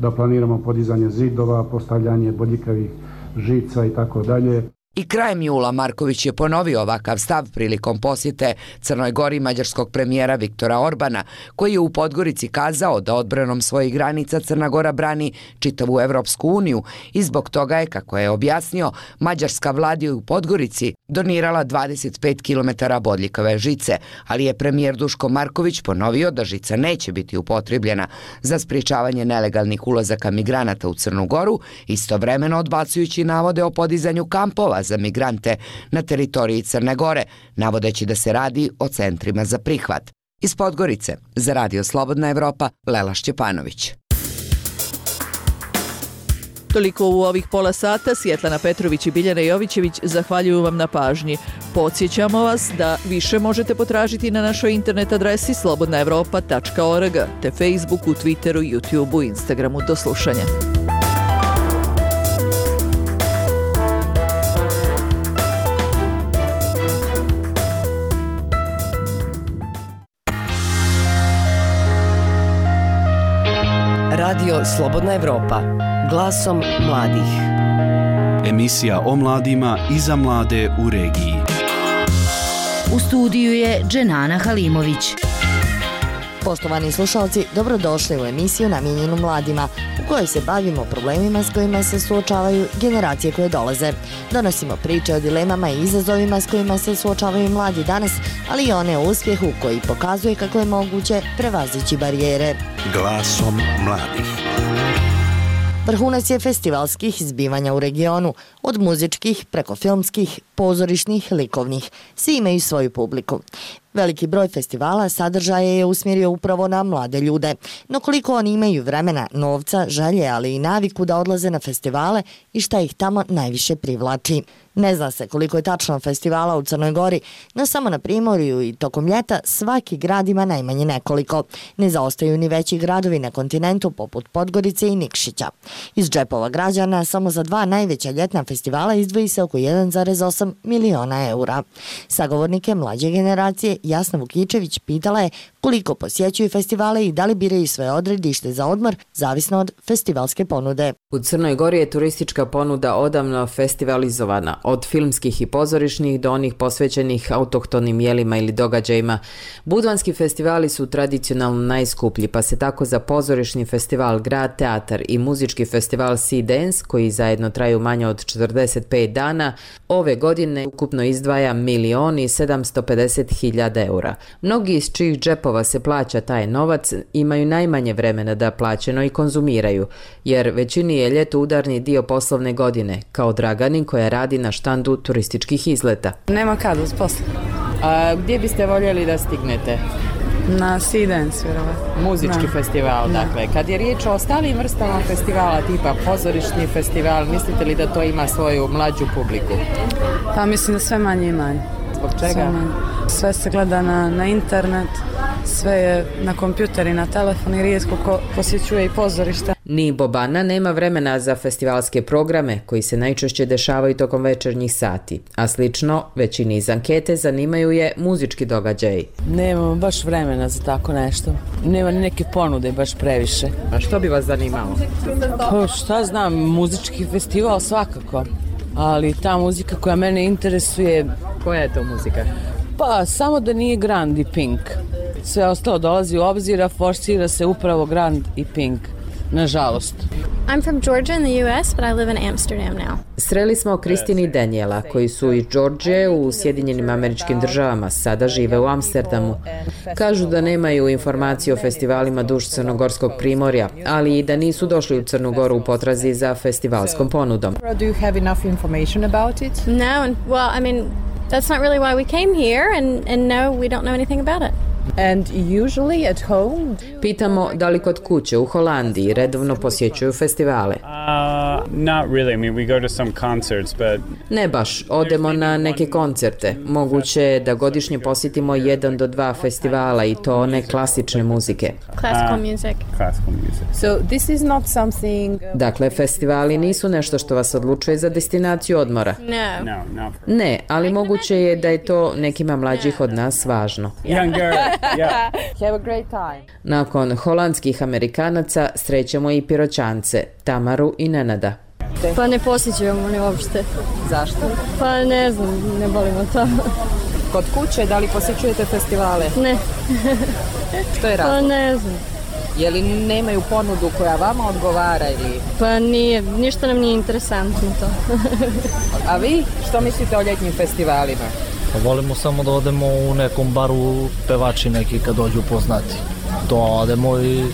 da planiramo podizanje zidova, postavljanje bodljikavih žica i tako dalje. I krajem jula Marković je ponovio ovakav stav prilikom posjete Crnoj Gori mađarskog premijera Viktora Orbana, koji je u Podgorici kazao da odbranom svojih granica Crna Gora brani čitavu Evropsku uniju i zbog toga je, kako je objasnio, mađarska vlada u Podgorici donirala dvadeset pet kilometara bodljikave žice, ali je premijer Duško Marković ponovio da žica neće biti upotrebljena za sprječavanje nelegalnih ulazaka migranata u Crnu Goru, istovremeno odbacujući navode o podizanju kampova za migrante na teritoriji Crne Gore, navodeći da se radi o centrima za prihvat. Iz Podgorice, za Radio Slobodna Evropa, Lela Šćepanović. Toliko u ovih pola sata. Svjetlana Petrović i Biljana Jovićević zahvaljuju vam na pažnji. Podsjećamo vas da više možete potražiti na našoj internet adresi slobodna evropa tačka org te Facebooku, Twitteru, YouTubeu, Instagramu. Do slušanja. Radio Slobodna Evropa. Glasom mladih. Emisija o mladima i za mlade u regiji. U studiju je Dženana Halimović. Poštovani slušalci, dobrodošli u emisiju namijenjenu mladima, u kojoj se bavimo problemima s kojima se suočavaju generacije koje dolaze. Donosimo priče o dilemama i izazovima s kojima se suočavaju mladi danas, ali i one o uspjehu koji pokazuje kako je moguće prevazići barijere. Glasom mladih. Vrhunac je festivalskih zbivanja u regionu, od muzičkih preko filmskih, pozorišnih, likovnih. Svi imaju svoju publiku. Veliki broj festivala sadržaje je usmjerio upravo na mlade ljude. No koliko oni imaju vremena, novca, želje, ali i naviku da odlaze na festivale i šta ih tamo najviše privlači. Ne zna se koliko je tačno festivala u Crnoj Gori, no samo na Primorju i tokom ljeta svaki grad ima najmanje nekoliko. Ne zaostaju ni veći gradovi na kontinentu poput Podgorice i Nikšića. Iz džepova građana samo za dva najveća ljetna festivala izdvoji se oko jedan zarez osam miliona eura. Sagovornike mlađe generacije Jasna Vukičević pitala je koliko posjećuju festivale i da li biraju svoje odredište za odmor, zavisno od festivalske ponude. U Crnoj Gori je turistička ponuda odavno festivalizovana, od filmskih i pozorišnih do onih posvećenih autohtonim jelima ili događajima. Budvanski festivali su tradicionalno najskuplji, pa se tako za pozorišni festival Grad Teatar i muzički festival Sea Dance, koji zajedno traju manje od četrdeset pet dana, ove godine ukupno izdvaja milion i sedamsto pedeset hiljada eura. Mnogi iz čijih džepova se plaća taj novac imaju najmanje vremena da plaćeno i konzumiraju, jer većini je ljeto udarni dio poslovne godine, kao Dragani koja radi na štandu turističkih izleta. Nema kad uz posla. A gdje biste voljeli da stignete? Na Sea Dance, vjerovatno. Muzički da. Festival, da. Dakle. Kad je riječ o ostalim vrstama festivala, tipa pozorišni festival, mislite li da to ima svoju mlađu publiku? Pa mislim da sve manje i manje. Zbog čega? Sve, sve se gleda na, na internet, sve je na kompjuter i na telefon i rijetko ko posjećuje i pozorišta. Ni Bobana nema vremena za festivalske programe koji se najčešće dešavaju tokom večernjih sati, a slično većini iz ankete zanimaju je muzički događaji. Nemamo baš vremena za tako nešto. Nema ni neke ponude baš previše. A što bi vas zanimalo? Pa šta znam, muzički festival svakako, ali ta muzika koja mene interesuje... Koja je to muzika? Pa samo da nije Grand i Pink. Sve ostalo dolazi u obzir, a forsira se upravo Grand i Pink. Nažalost. I'm from Georgia in the U S, but I live in Amsterdam now. Sreli smo Kristini i Daniela, koji su iz Georgije u Sjedinjenim Američkim Državama, sada žive u Amsterdamu. Kažu da nemaju informacije o festivalima duž Crnogorskog primorja, ali i da nisu došli u Crnu Goru u potrazi za festivalskom ponudom. Do you have enough information about it? No, well, I mean, that's not really why we came here, and, and no, we don't know anything about it. And usually at home? Pitamo da li kod kuće u Holandiji redovno posjećuju festivale. Uh, not really. I mean, we go to some concerts, but... Ne baš, odemo na neke koncerte. Moguće je da godišnje posjetimo jedan do dva festivala i to one klasične muzike. Classical music. Uh, classical music. So this is not something... Dakle, festivali nisu nešto što vas odlučuje za destinaciju odmora. No. No, not for... Ne, ali moguće je da je to nekima mlađih od nas važno. Younger. Yeah. Have a great time. Nakon holandskih Amerikanaca srećemo i Piroćance, Tamaru i Nenada. Pa ne posjećujemo ni uopšte. Zašto? Pa ne znam, ne volimo to. Kod kuće, da li posjećujete festivale? Ne. Što je razlog? Pa ne znam. Je li nemaju ponudu koja vama odgovara ili? Pa nije, ništa nam nije interesantno to. A vi što mislite o ljetnim festivalima? Pa volimo samo da odemo u nekom baru, pevači neki kad dođu poznati. To odemo i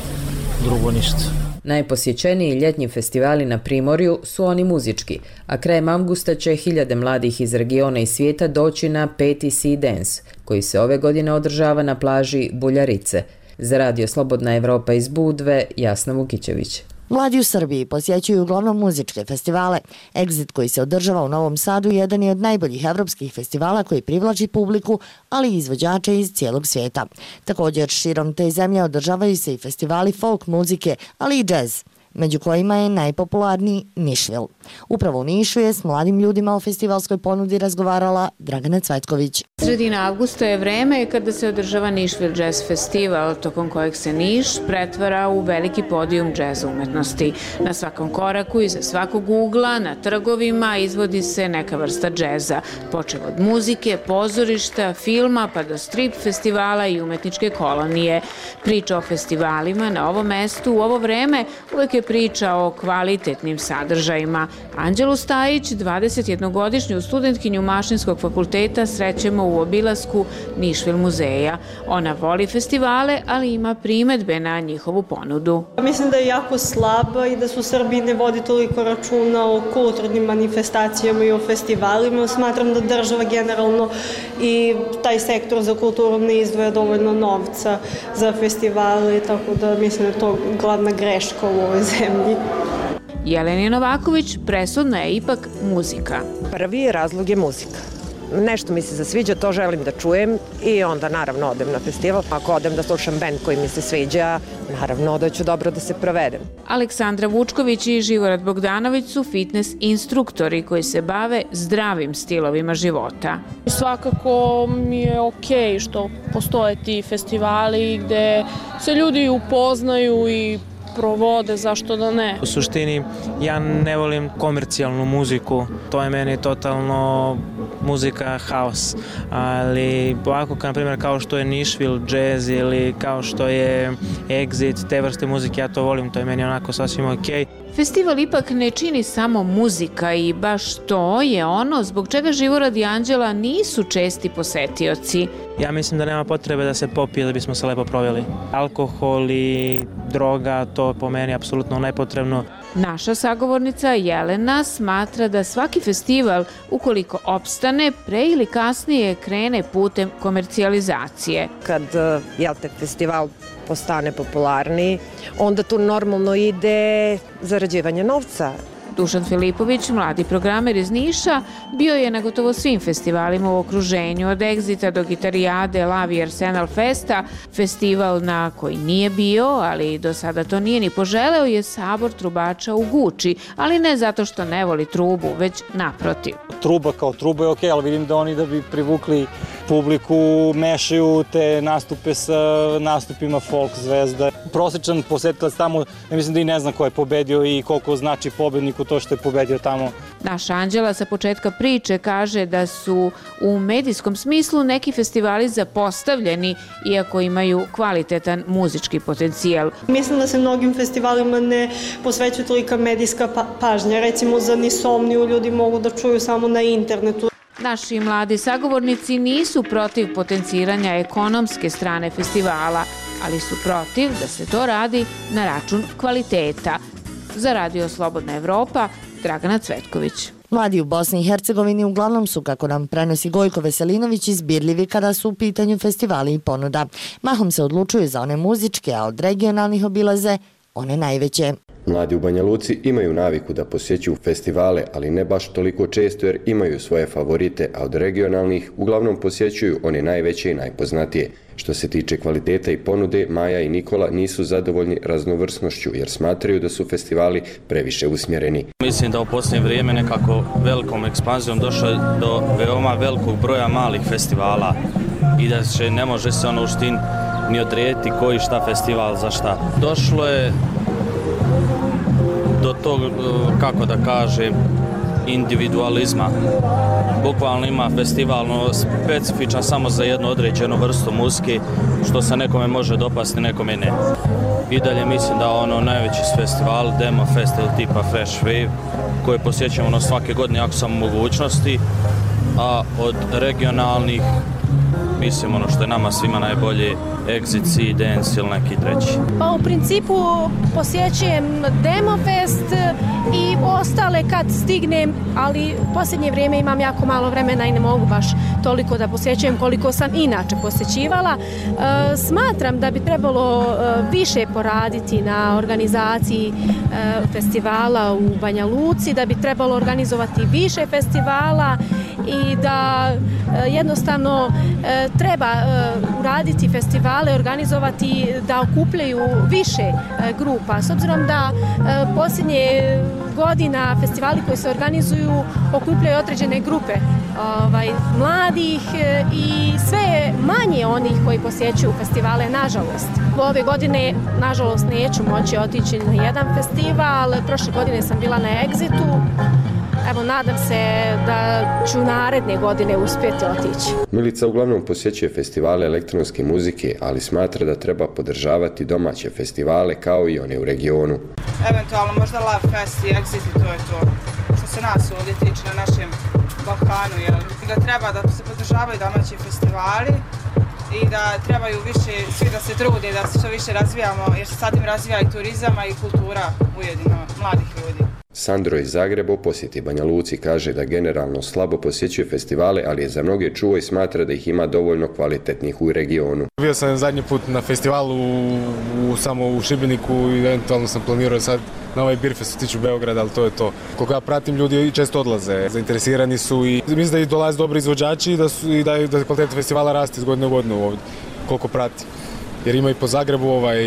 drugo ništa. Najposjećeniji ljetnji festivali na Primorju su oni muzički, a krajem avgusta će hiljade mladih iz regiona i svijeta doći na peti Sea Dance, koji se ove godine održava na plaži Buljarice. Za radio Slobodna Evropa iz Budve, Jasna Vukićević. Mladi u Srbiji posjećuju uglavnom muzičke festivale. Exit koji se održava u Novom Sadu jedan je od najboljih evropskih festivala koji privlači publiku, ali i izvođače iz cijelog svijeta. Također širom te zemlje održavaju se i festivali folk muzike, ali i džez, među kojima je najpopularniji Nišvil. Upravo u Nišu je s mladim ljudima o festivalskoj ponudi razgovarala Dragana Cvetković. Sredina avgusta je vreme kada se održava Nišvil Jazz Festival, tokom kojeg se Niš pretvara u veliki podijum džeza umetnosti. Na svakom koraku, iza svakog ugla, na trgovima izvodi se neka vrsta džeza, počev od muzike, pozorišta, filma pa do strip festivala i umetničke kolonije. Priča o festivalima na ovom mestu u ovo vreme uvek je priča o kvalitetnim sadržajima. Anđelu Stajić, dvadesetjednogodišnju studentkinju Mašinskog fakulteta, srećemo u obilasku Nišvil muzeja. Ona voli festivale, ali ima primedbe na njihovu ponudu. Mislim da je jako slaba i da su Srbiji ne vodi toliko računa o kulturnim manifestacijama i o festivalima. Smatram da država generalno i taj sektor za kulturu ne izdvaja dovoljno novca za festivale, tako da mislim da je to glavna greška u ovoj zemlji. Jeleni Novaković, presudna je ipak muzika. Prvi razlog je muzika. Nešto mi se zasviđa, to želim da čujem i onda naravno odem na festival. Ako odem da slušam bend koji mi se sviđa, naravno da ću dobro da se provedem. Aleksandra Vučković i Živorad Bogdanović su fitness instruktori koji se bave zdravim stilovima života. Svakako mi je okej što postoje ti festivali gde se ljudi upoznaju i provode, zašto da ne. U suštini ja ne volim komercijalnu muziku, to je meni totalno muzika haos, ali ovako na primjer kao što je Nišvil jazz ili kao što je Exit, te vrste muzike, ja to volim, to je meni onako sasvim okej. Festival ipak ne čini samo muzika i baš to je ono zbog čega Živorad i Anđela nisu česti posetioci. Ja mislim da nema potrebe da se popije da bismo se lepo proveli. Alkohol i droga, to po meni apsolutno nepotrebno. Naša sagovornica Jelena smatra da svaki festival, ukoliko opstane, pre ili kasnije krene putem komercijalizacije. Kad jel te, festival postane popularniji, onda tu normalno ide zarađivanje novca. Dušan Filipović, mladi programer iz Niša, bio je na gotovo svim festivalima u okruženju, od Exita do Gitarijade, Lavi i Arsenal Festa. Festival na koji nije bio, ali do sada to nije ni poželeo, je Sabor trubača u Guči, ali ne zato što ne voli trubu, već naprotiv. Truba kao truba je okej, ali vidim da oni da bi privukli publiku mešaju te nastupe sa nastupima folk zvezda. Prosječan posetilac tamo, ja mislim da i ne zna ko je pobedio i koliko znači pobedniku to što je pobedio tamo. Naša Anđela sa početka priče kaže da su u medijskom smislu neki festivali zapostavljeni, iako imaju kvalitetan muzički potencijal. Mislim da se mnogim festivalima ne posvećuje tolika medijska pa pažnja. Recimo za Nisomniju ljudi mogu da čuju samo na internetu. Naši mladi sagovornici nisu protiv potenciranja ekonomske strane festivala, ali su protiv da se to radi na račun kvaliteta. Za radio Slobodna Evropa, Dragana Cvetković. Mladi u Bosni i Hercegovini uglavnom su, kako nam prenosi Gojko Veselinović, izbirljivi kada su u pitanju festivali i ponuda. Mahom se odlučuju za one muzičke, a od regionalnih obilaze one najveće. Mladi u Banja Luci imaju naviku da posjećuju festivale, ali ne baš toliko često jer imaju svoje favorite, a od regionalnih uglavnom posjećuju one najveće i najpoznatije. Što se tiče kvaliteta i ponude, Maja i Nikola nisu zadovoljni raznovrsnošću jer smatraju da su festivali previše usmjereni. Mislim da u posljednje vrijeme nekako velikom ekspanzijom došlo je do veoma velikog broja malih festivala i da će, ne može se ono uštin ni odrediti koji šta festival za šta. Došlo je do tog, kako da kažem, individualizma. bukvalno ima festivalno specifičan samo za jednu određenu vrstu muzike, što se nekome može dopasti, nekome ne. I dalje mislim da ono najveći festival, Demo Fest ili tipa Fresh Wave, koje posjećamo ono svake godine ako sam u mogućnosti, a od regionalnih, mislim ono što je nama svima najbolje, Exit, Sea, Dance ili neki treći. Pa u principu posjećujem Demo Fest i ostale kad stignem, ali u posljednje vrijeme imam jako malo vremena i ne mogu baš toliko da posjećujem koliko sam inače posjećivala. E, smatram da bi trebalo e, više poraditi na organizaciji e, festivala u Banja Luci, da bi trebalo organizovati više festivala i da e, jednostavno e, treba e, uraditi festivale, organizovati da okupljaju više e, grupa. S obzirom da e, posljednje godina festivali koji se organizuju okupljaju određene grupe ovaj, mladih e, i sve manje onih koji posjećuju festivale, nažalost. Ove godine, nažalost, neću moći otići na jedan festival. Prošle godine sam bila na Exitu. Evo, nadam se da ću naredne godine uspjeti otići. Milica uglavnom posjećuje festivale elektronske muzike, ali smatra da treba podržavati domaće festivale kao i one u regionu. Eventualno možda Love Fest i Exit i to je to. Što se nas ovdje tiče na našem Balkanu, jel? Da treba da se podržavaju domaći festivali i da trebaju više svi da se trude, da se što više razvijamo, jer se sad im razvija i turizam i kultura ujedino mladih ljudi. Sandro iz Zagreba posjeti Banja Luci, kaže da generalno slabo posjećuje festivale, ali je za mnoge čuo i smatra da ih ima dovoljno kvalitetnih u regionu. Bio sam zadnji put na festivalu u, u, samo u Šibeniku i eventualno sam planirao sad na ovaj Beerfest u tiču Beograda, ali to je to. Koliko ja pratim, ljudi često odlaze, zainteresirani su i mislim da i dolaze dobri izvođači i da, su, i da, da kvaliteta festivala raste iz godine u godinu ovdje, koliko prati. Jer ima i po Zagrebu ovaj,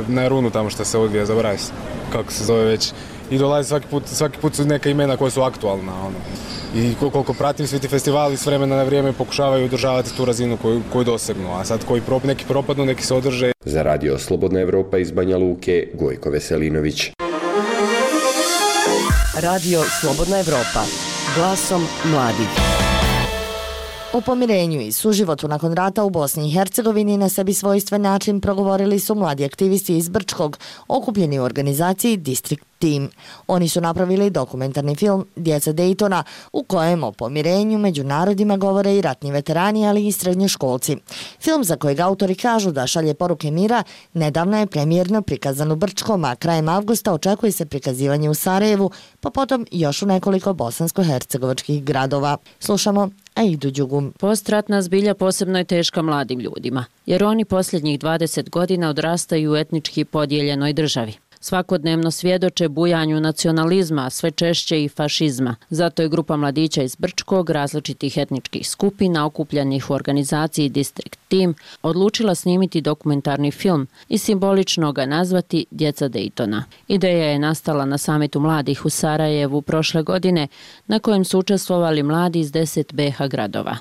na Runu tamo što se odvija, zaboravim se kako se zove već. I dolaze svaki put, svaki put su neka imena koja su aktualna. Ono. I koliko pratim, svi ti festivali s vremena na vrijeme pokušavaju održavati tu razinu koju, koju dosegnu. A sad koji prop, neki propadnu, neki se održe. Za radio Slobodna Evropa iz Banja Luke, Gojko Veselinović. Radio Slobodna Evropa. Glasom mladih. O pomirenju i suživotu nakon rata u Bosni i Hercegovini na sebi svojstven način progovorili su mladi aktivisti iz Brčkog, okupljeni u organizaciji District Team. Oni su napravili dokumentarni film Djeca Daytona, u kojem o pomirenju među narodima govore i ratni veterani, ali i srednjoškolci. Film, za kojeg autori kažu da šalje poruke mira, nedavno je premijerno prikazan u Brčkom, a krajem avgusta očekuje se prikazivanje u Sarajevu, pa potom još u nekoliko bosansko-hercegovačkih gradova. Slušamo Aidu Đugum. Postratna zbilja posebno je teška mladim ljudima, jer oni posljednjih dvadeset godina odrastaju u etnički podijeljenoj državi. Svakodnevno svjedoče bujanju nacionalizma, a sve češće i fašizma. Zato je grupa mladića iz Brčkog, različitih etničkih skupina, okupljenih u organizaciji District Team, odlučila snimiti dokumentarni film i simbolično ga nazvati Djeca Daytona. Ideja je nastala na samitu mladih u Sarajevu prošle godine, na kojem su učestvovali mladi iz deset be ha gradova.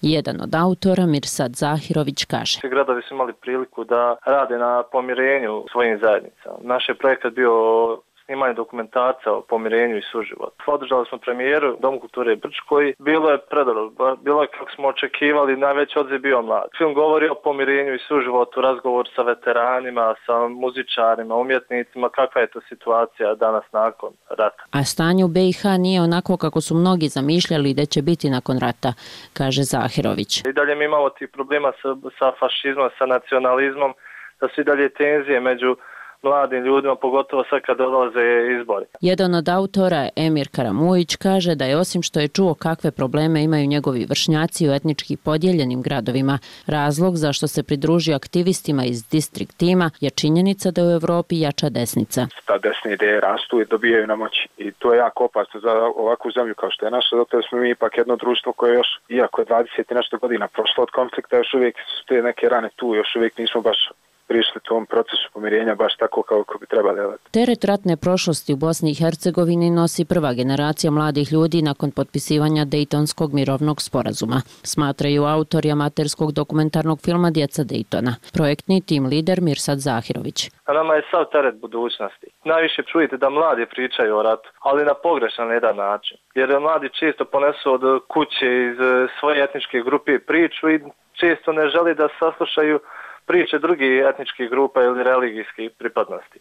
Jedan od autora, Mirsad Zahirović, kaže: Svi gradovi su imali priliku da rade na pomirenju svojim zajednicama. Naš je projekat bio snimanje dokumentarca o pomirenju i suživotu. Održali smo premijeru u Domu kulture Brčkoj. Bilo je predobro, bilo je kako smo očekivali, najveći odziv bio mlad. Film govori o pomirenju i suživotu, razgovor sa veteranima, sa muzičarima, umjetnicima, kakva je to situacija danas nakon rata. A stanje u be i ha nije onako kako su mnogi zamišljali da će biti nakon rata, kaže Zahirović. I dalje mi imamo tih problema sa, sa fašizmom, sa nacionalizmom, da su i dalje tenzije među mladim ljudima, pogotovo sad kad dolaze izbori. Jedan od autora, Emir Karamujić, kaže da je osim što je čuo kakve probleme imaju njegovi vršnjaci u etnički podijeljenim gradovima, razlog zašto se pridružio aktivistima iz District Teama je činjenica da u Evropi jača desnica. Ta desne ideje rastu i dobijaju na moći i to je jako opasno za ovakvu zemlju kao što je naša, zato smo mi ipak jedno društvo koje još, iako je dvadeset i nešto godina prošlo od konflikta, još uvijek su te neke rane tu, još uvijek nismo baš prišli tom procesu pomirenja baš tako kako bi trebali. Teret ratne prošlosti u Bosni i Hercegovini nosi prva generacija mladih ljudi nakon potpisivanja Dejtonskog mirovnog sporazuma, smatraju autori amaterskog dokumentarnog filma Djeca Dejtona, projektni tim lider Mirsad Zahirović. A nama je sav teret budućnosti. Najviše čujete da mladi pričaju o ratu, ali na pogrešan jedan način. Jer mladi često ponesu od kuće iz svoje etničke grupe priču i često ne želi da saslušaju priče drugih etničkih grupa ili religijskih pripadnosti.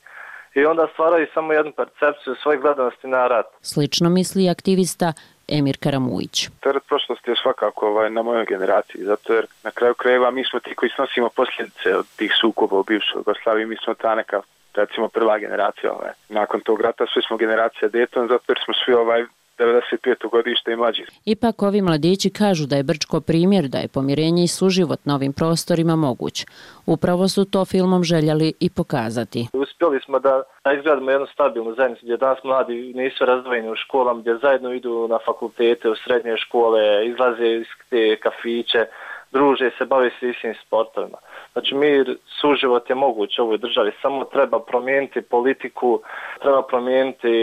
I onda stvaraju samo jednu percepciju svoje gledanosti na rat. Slično misli aktivista Emir Karamujić. Teret prošlosti je svakako ovaj, na mojoj generaciji, zato jer na kraju krajeva mi smo ti koji snosimo posljedice od tih sukoba u bivšoj Jugoslaviji, mi smo ta neka, recimo, prva generacija. Ovaj. Nakon tog rata svi smo generacija Dayton, zato jer smo svi ovaj devedeset peto godište i mlađi. Ipak ovi mladići kažu da je Brčko primjer da je pomirenje i suživot na ovim prostorima moguć. Upravo su to filmom željeli i pokazati. Uspjeli smo da izgradimo jednu stabilnu zajednicu gdje danas mladi nisu razdvojeni u školama, gdje zajedno idu na fakultete, u srednje škole, izlaze iz te kafiće, druže se, bave se istim sportovima. Znači mir, suživot je moguć u ovoj državi, samo treba promijeniti politiku, treba promijeniti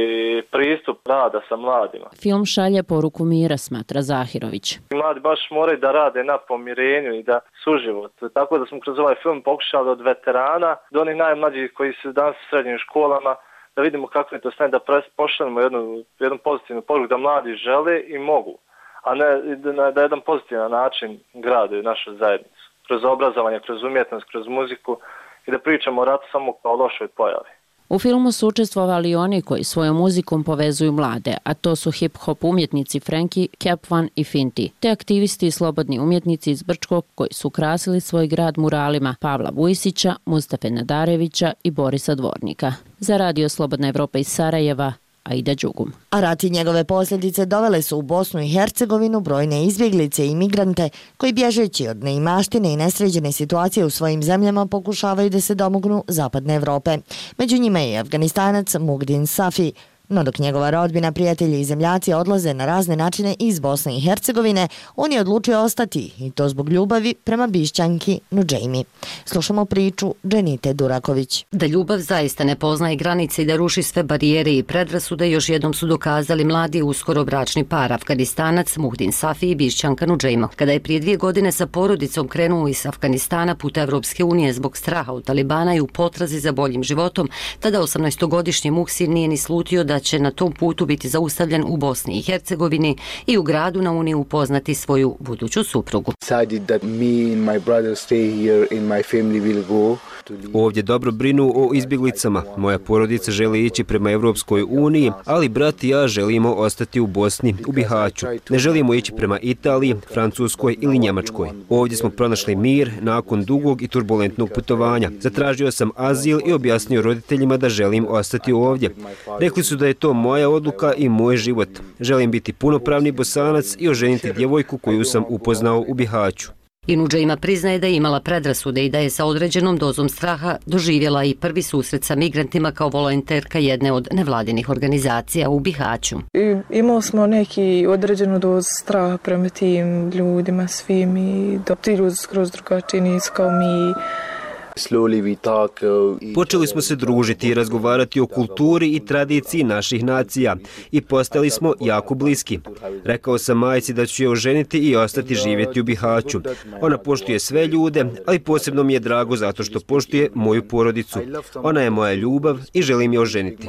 pristup rada sa mladima. Film šalje poruku mira, smatra Zahirović. Mladi baš moraju da rade na pomirenju i da suživot. Tako da smo kroz ovaj film pokušali od veterana do onih najmlađih koji su danas u srednjim školama, da vidimo kako je to stane, da pošaljemo jednu, jednu pozitivnu poruku da mladi žele i mogu, a ne da, da jedan pozitivan način grade našu zajednicu. Kroz obrazovanje, kroz umjetnost, kroz muziku i da pričamo o ratu samo kao lošoj pojavi. U filmu su učestvovali i oni koji svojom muzikom povezuju mlade, a to su hip-hop umjetnici Frankie, Capvan i Finti, te aktivisti i slobodni umjetnici iz Brčkog koji su ukrasili svoj grad muralima Pavla Vujsića, Mustafe Nadarevića i Borisa Dvornika. Za Radio Slobodna Evropa iz Sarajeva, Aida Đugum. A rat i njegove posljedice dovele su u Bosnu i Hercegovinu brojne izbjeglice i migrante koji bježeći od neimaštine i nesređene situacije u svojim zemljama pokušavaju da se domognu zapadne Evrope. Među njima je i Afganistanac Mugdin Safi. No dok njegova rodbina, prijatelji i zemljaci odlaze na razne načine iz Bosne i Hercegovine, on je odlučio ostati i to zbog ljubavi prema Bišćanki Nudžejmi. Slušamo priču Dženite Duraković. Da ljubav zaista ne poznaje granice i da ruši sve barijere i predrasude, još jednom su dokazali mladi uskoro bračni par, Afganistanac Muhdin Safi i Bišćanka Nudžejma. Kada je prije dvije godine sa porodicom krenuo iz Afganistana put Evropske unije zbog straha od Talibana i u potrazi za boljim životom, tada osamnaestogodišnji Muhsin nije ni slutio da će na tom putu biti zaustavljen u Bosni i Hercegovini i u gradu na Uniji upoznati svoju buduću suprugu. Ovdje dobro brinu o izbjeglicama. Moja porodica želi ići prema Evropskoj uniji, ali brat i ja želimo ostati u Bosni, u Bihaću. Ne želimo ići prema Italiji, Francuskoj ili Njemačkoj. Ovdje smo pronašli mir nakon dugog i turbulentnog putovanja. Zatražio sam azil i objasnio roditeljima da želim ostati ovdje. Rekli su da je to moja odluka i moj život. Želim biti punopravni Bosanac i oženiti djevojku koju sam upoznao u Bihaću. I Nudžejma priznaje da je imala predrasude i da je sa određenom dozom straha doživjela i prvi susret sa migrantima kao volonterka jedne od nevladinih organizacija u Bihaću. I, imali smo neki određenu dozu straha prema tim ljudima svim i da ti ljudi skroz drugačiji nisu kao mi. Počeli smo se družiti i razgovarati o kulturi i tradiciji naših nacija i postali smo jako bliski. Rekao sam majci da ću je oženiti i ostati živjeti u Bihaću. Ona poštuje sve ljude, ali posebno mi je drago zato što poštuje moju porodicu. Ona je moja ljubav i želim je oženiti.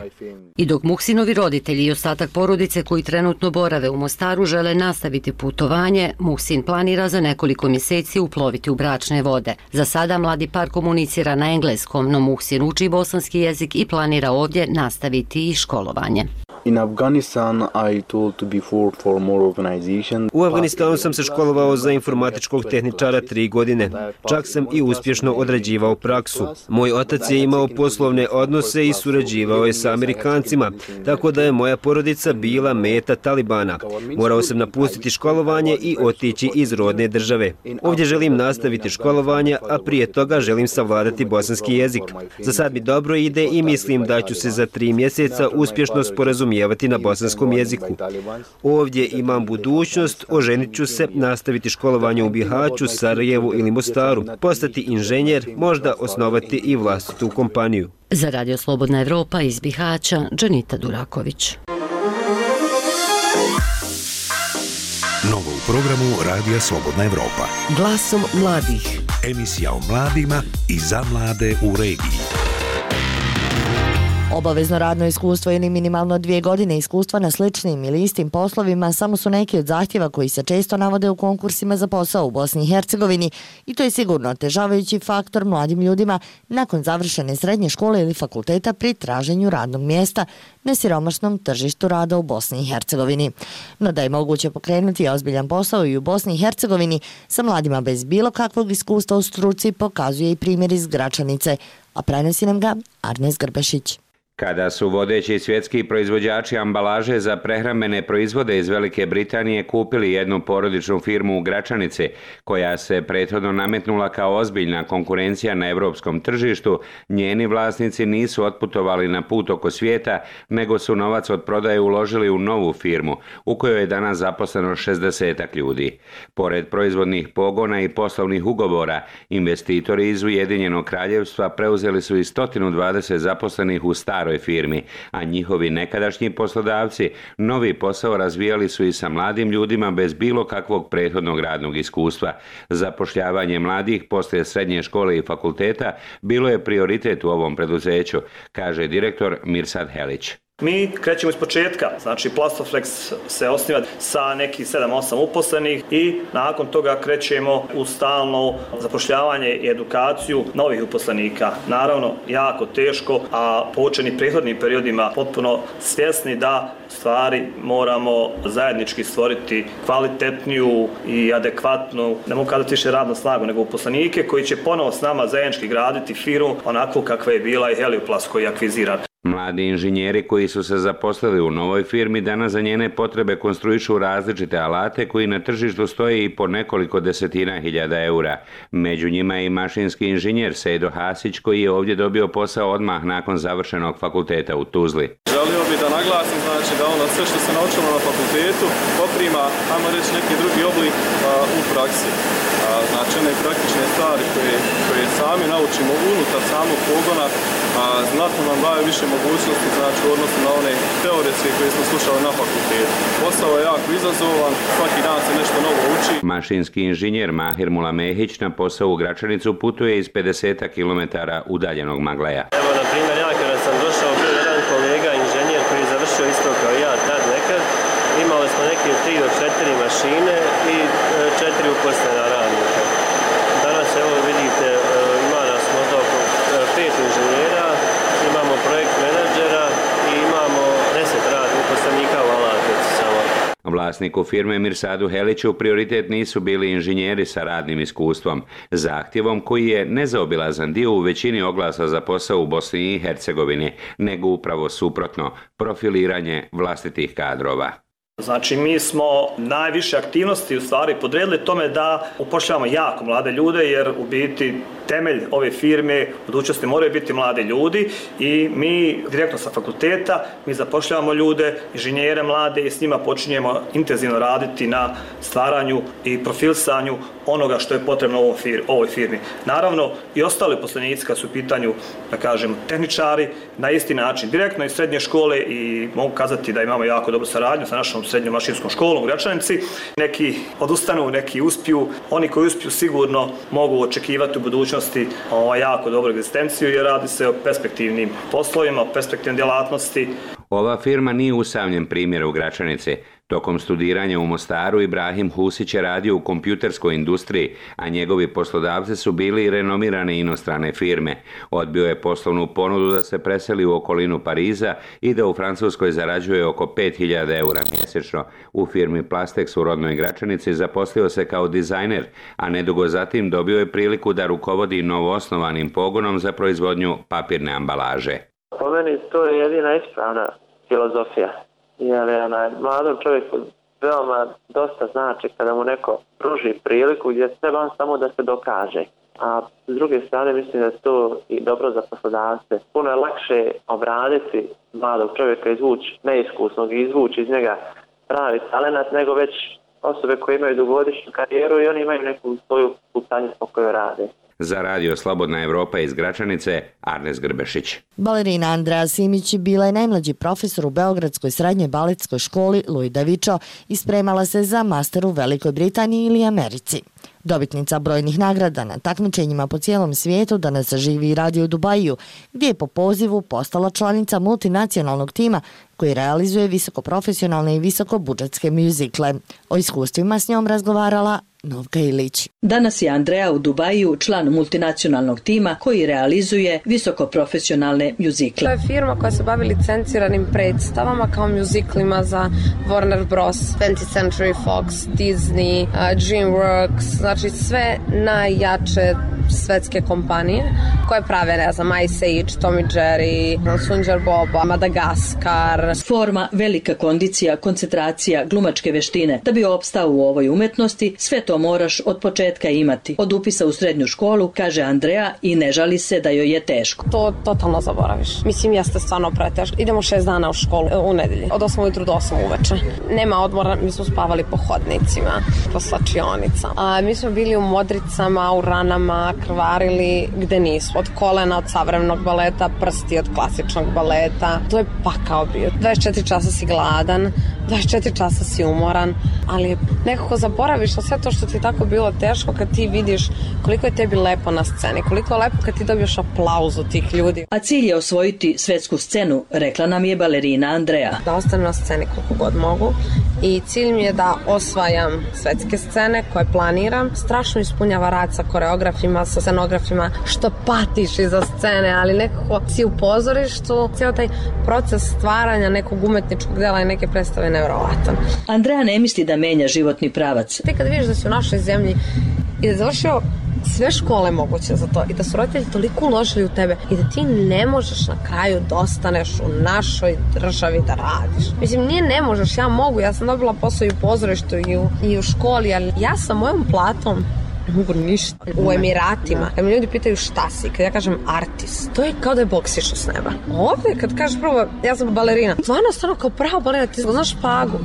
I dok Muhsinovi roditelji i ostatak porodice koji trenutno borave u Mostaru žele nastaviti putovanje, Muhsin planira za nekoliko mjeseci uploviti u bračne vode. Za sada mladi par komunicira komunicira na engleskom, no Muhsin uči bosanski jezik i planira ovdje nastaviti i školovanje. In Afghanistan I told to be for for more organization. U Afganistanu sam se školovao za informatičkog tehničara tri godine. Čak sam i uspješno odrađivao praksu. Moj otac je imao poslovne odnose i surađivao je sa Amerikancima, tako da je moja porodica bila meta Talibana. Morao sam napustiti školovanje i otići iz rodne države. Ovdje želim nastaviti školovanje, a prije toga želim savladati bosanski jezik. Za sad mi dobro ide i mislim da ću se za tri mjeseca uspješno sporazumjeti sporazumijevati na bosanskom jeziku. Ovdje imam budućnost, oženit ću se, nastaviti školovanje u Bihaću, Sarajevu ili Mostaru, postati inženjer, možda osnovati i vlastitu kompaniju. Za Radio Slobodna Evropa iz Bihaća, Džanita Duraković. Novo u programu Radija Slobodna Evropa. Glasom mladih. Emisija o mladima i za mlade u regiji. Obavezno radno iskustvo ili minimalno dvije godine iskustva na sličnim ili istim poslovima samo su neki od zahtjeva koji se često navode u konkursima za posao u Bosni i Hercegovini i to je sigurno otežavajući faktor mladim ljudima nakon završene srednje škole ili fakulteta pri traženju radnog mjesta na siromašnom tržištu rada u Bosni i Hercegovini. No da je moguće pokrenuti ozbiljan posao i u Bosni i Hercegovini sa mladima bez bilo kakvog iskustva u struci pokazuje i primjer iz Gračanice, a prenosi nam ga Arnes Grbešić. Kada su vodeći svjetski proizvođači ambalaže za prehrambene proizvode iz Velike Britanije kupili jednu porodičnu firmu u Gračanici, koja se prethodno nametnula kao ozbiljna konkurencija na evropskom tržištu, njeni vlasnici nisu otputovali na put oko svijeta, nego su novac od prodaje uložili u novu firmu, u kojoj je danas zaposleno šezdesetak ljudi. Pored proizvodnih pogona i poslovnih ugovora, investitori iz Ujedinjenog Kraljevstva preuzeli su i sto dvadeset zaposlenih u staroj firmi, a njihovi nekadašnji poslodavci novi posao razvijali su i sa mladim ljudima bez bilo kakvog prethodnog radnog iskustva. Zapošljavanje mladih poslije srednje škole i fakulteta bilo je prioritet u ovom preduzeću, kaže direktor Mirsad Helić. Mi krećemo iz početka, znači Plastoflex se osniva sa nekih sedam osam uposlenih i nakon toga krećemo u stalno zapošljavanje i edukaciju novih uposlenika. Naravno, jako teško, a poučeni prethodnim periodima potpuno svjesni da stvari moramo zajednički stvoriti kvalitetniju i adekvatnu, ne mogu kazati više radnu snagu, nego uposlenike koji će ponovo s nama zajednički graditi firmu onako kakva je bila i Helioplast koji je akviziran. Mladi inženjeri koji su se zaposlili u novoj firmi danas za njene potrebe konstruišu različite alate koji na tržištu stoje i po nekoliko desetina hiljada eura. Među njima je i mašinski inženjer Sejdo Hasić koji je ovdje dobio posao odmah nakon završenog fakulteta u Tuzli. Želio bih da naglasim znači, da ono sve što se naučilo na fakultetu poprima, ajmo reći, neki drugi oblik a, u praksi. A, znači one praktične stvari koje, koje sami naučimo unutar samog pogona, a znatno nam daje više mogućnosti znači, u odnosu na one teoretske koje smo slušali na fakultetu. Posao je jako izazovan, svaki dan se nešto novo uči. Mašinski inženjer Mahir Mulamehić na posao u Gračanicu putuje iz pedeset kilometara udaljenog Magleja. Evo, na primjer, ja kada sam došao, bio jedan kolega inženjer koji je završio isto kao ja tad nekad. Imali smo neke tri do četiri mašine i četiri uposlena radnika. Danas, evo vidite, ima nas možda oko pet inženjera, imamo projekt menadžera i imamo deset radnih uposlenika u Alatnici samo. Vlasniku firme Mirsadu Heliću prioritet nisu bili inženjeri sa radnim iskustvom, zahtjevom koji je nezaobilazan dio u većini oglasa za posao u Bosni i Hercegovini, nego upravo suprotno, profiliranje vlastitih kadrova. Znači, mi smo najviše aktivnosti u stvari podredili tome da upošljavamo jako mlade ljude, jer u biti temelj ove firme u budućnosti moraju biti mladi ljudi i mi direktno sa fakulteta mi zapošljavamo ljude, inženjere mlade i s njima počinjemo intenzivno raditi na stvaranju i profilisanju onoga što je potrebno u ovoj firmi. Naravno, i ostali uposlenici kad su u pitanju, da kažem, tehničari, na isti način, direktno iz srednje škole i mogu kazati da imamo jako dobru saradnju sa našom srednjom mašinskom školom u Gračanici. Neki odustanu, neki uspiju. Oni koji uspiju sigurno mogu očekivati u budućnosti ovaj, jako dobru egzistenciju jer radi se o perspektivnim poslovima, o perspektivnim djelatnosti. Ova firma nije usamljen primjer u Gračanici. Tokom studiranja u Mostaru Ibrahim Husić je radio u kompjuterskoj industriji, a njegovi poslodavci su bili renomirane inostrane firme. Odbio je poslovnu ponudu da se preseli u okolinu Pariza i da u Francuskoj zarađuje oko pet hiljada eura mjesečno. U firmi Plastex u rodnoj Gračanici zaposlio se kao dizajner, a nedugo zatim dobio je priliku da rukovodi novoosnovanim pogonom za proizvodnju papirne ambalaže. Po meni to je jedina ispravna filozofija. Jer onaj, mladom čovjeku veoma dosta znači kada mu neko pruži priliku gdje treba on samo da se dokaže. a s druge strane mislim da je to i dobro za poslodavce. Puno je lakše obraditi mladog čovjeka, izvući neiskusnog i izvući iz njega pravi talenat nego već osobe koje imaju dugogodišnju karijeru i oni imaju neku svoju putanju po kojoj rade. Za radio Slobodna Evropa iz Gračanice, Arnes Grbešić. Balerina Andreja Simić bila je najmlađi profesor u Beogradskoj srednjoj baletskoj školi Louis Davičo i spremala se za master u Velikoj Britaniji ili Americi. Dobitnica brojnih nagrada na takmičenjima po cijelom svijetu, danas živi i radi u Dubaju, gdje je po pozivu postala članica multinacionalnog tima koji realizuje visokoprofesionalne i visokobudžetske mjuzikle. O iskustvima s njom razgovarala Novka Ilić. Danas je Andreja u Dubaju član multinacionalnog tima koji realizuje visokoprofesionalne mjuzikle. To je firma koja se bavi licenciranim predstavama kao mjuziklima za Warner Bros, twentieth Century Fox, Disney, uh, DreamWorks, znači sve najjače svetske kompanije koje prave, ne znam, Ice Age, Tom and Jerry, Sunđer Boba, Madagaskar. Forma, velika kondicija, koncentracija, glumačke veštine. Da bi opstao u ovoj umetnosti, sve to moraš od početka imati. Od upisa u srednju školu, kaže Andreja, i ne žali se da joj je teško. To totalno zaboraviš. Mislim, jeste stvarno preteško. Idemo šest dana u školu u nedelji. Od osam ujutru do osam uveče. Nema odmora, mi smo spavali po hodnicima, po slačionicama. A mi smo bili u modricama, u ranama, krvarili gde nismo. Od kolena, od savremenog baleta, prsti od klasičnog baleta. To je pakao bio. dvadeset četiri časa si gladan, dvadeset četiri časa si umoran, ali nekako zaboraviš na sve to što ti je tako bilo teško kad ti vidiš koliko je tebi lepo na sceni, koliko je lepo kad ti dobiješ aplauzu tih ljudi. A cilj je osvojiti svetsku scenu, rekla nam je balerina Andreja. Da ostanem na sceni koliko god mogu i cilj mi je da osvajam svetske scene koje planiram. Strašno ispunjava rad sa koreografima, sa scenografima, što patiš iza scene, ali nekako si u pozorištu. Cijel taj proces stvaranja nekog umetničkog dela i neke predstave nevjerovatan. Andreja ne misli da menja životni pravac. Ti kad vidiš da si u našoj zemlji i da je završio sve škole moguće za to i da su roditelji toliko uložili u tebe i da ti ne možeš na kraju da ostaneš u našoj državi da radiš. Mislim, nije ne možeš, ja mogu, ja sam dobila posao i u pozorištu i u, i u školi, ali ja sa mojom platom ne mogu ništa. U Emiratima, kad me ljudi pitaju šta si, kad ja kažem artist, to je kao da je Bog sišao s neba. Ovdje, kad kažeš prvo, ja sam balerina, stvarno, stvarno kao prava balerina, ti znaš špagu.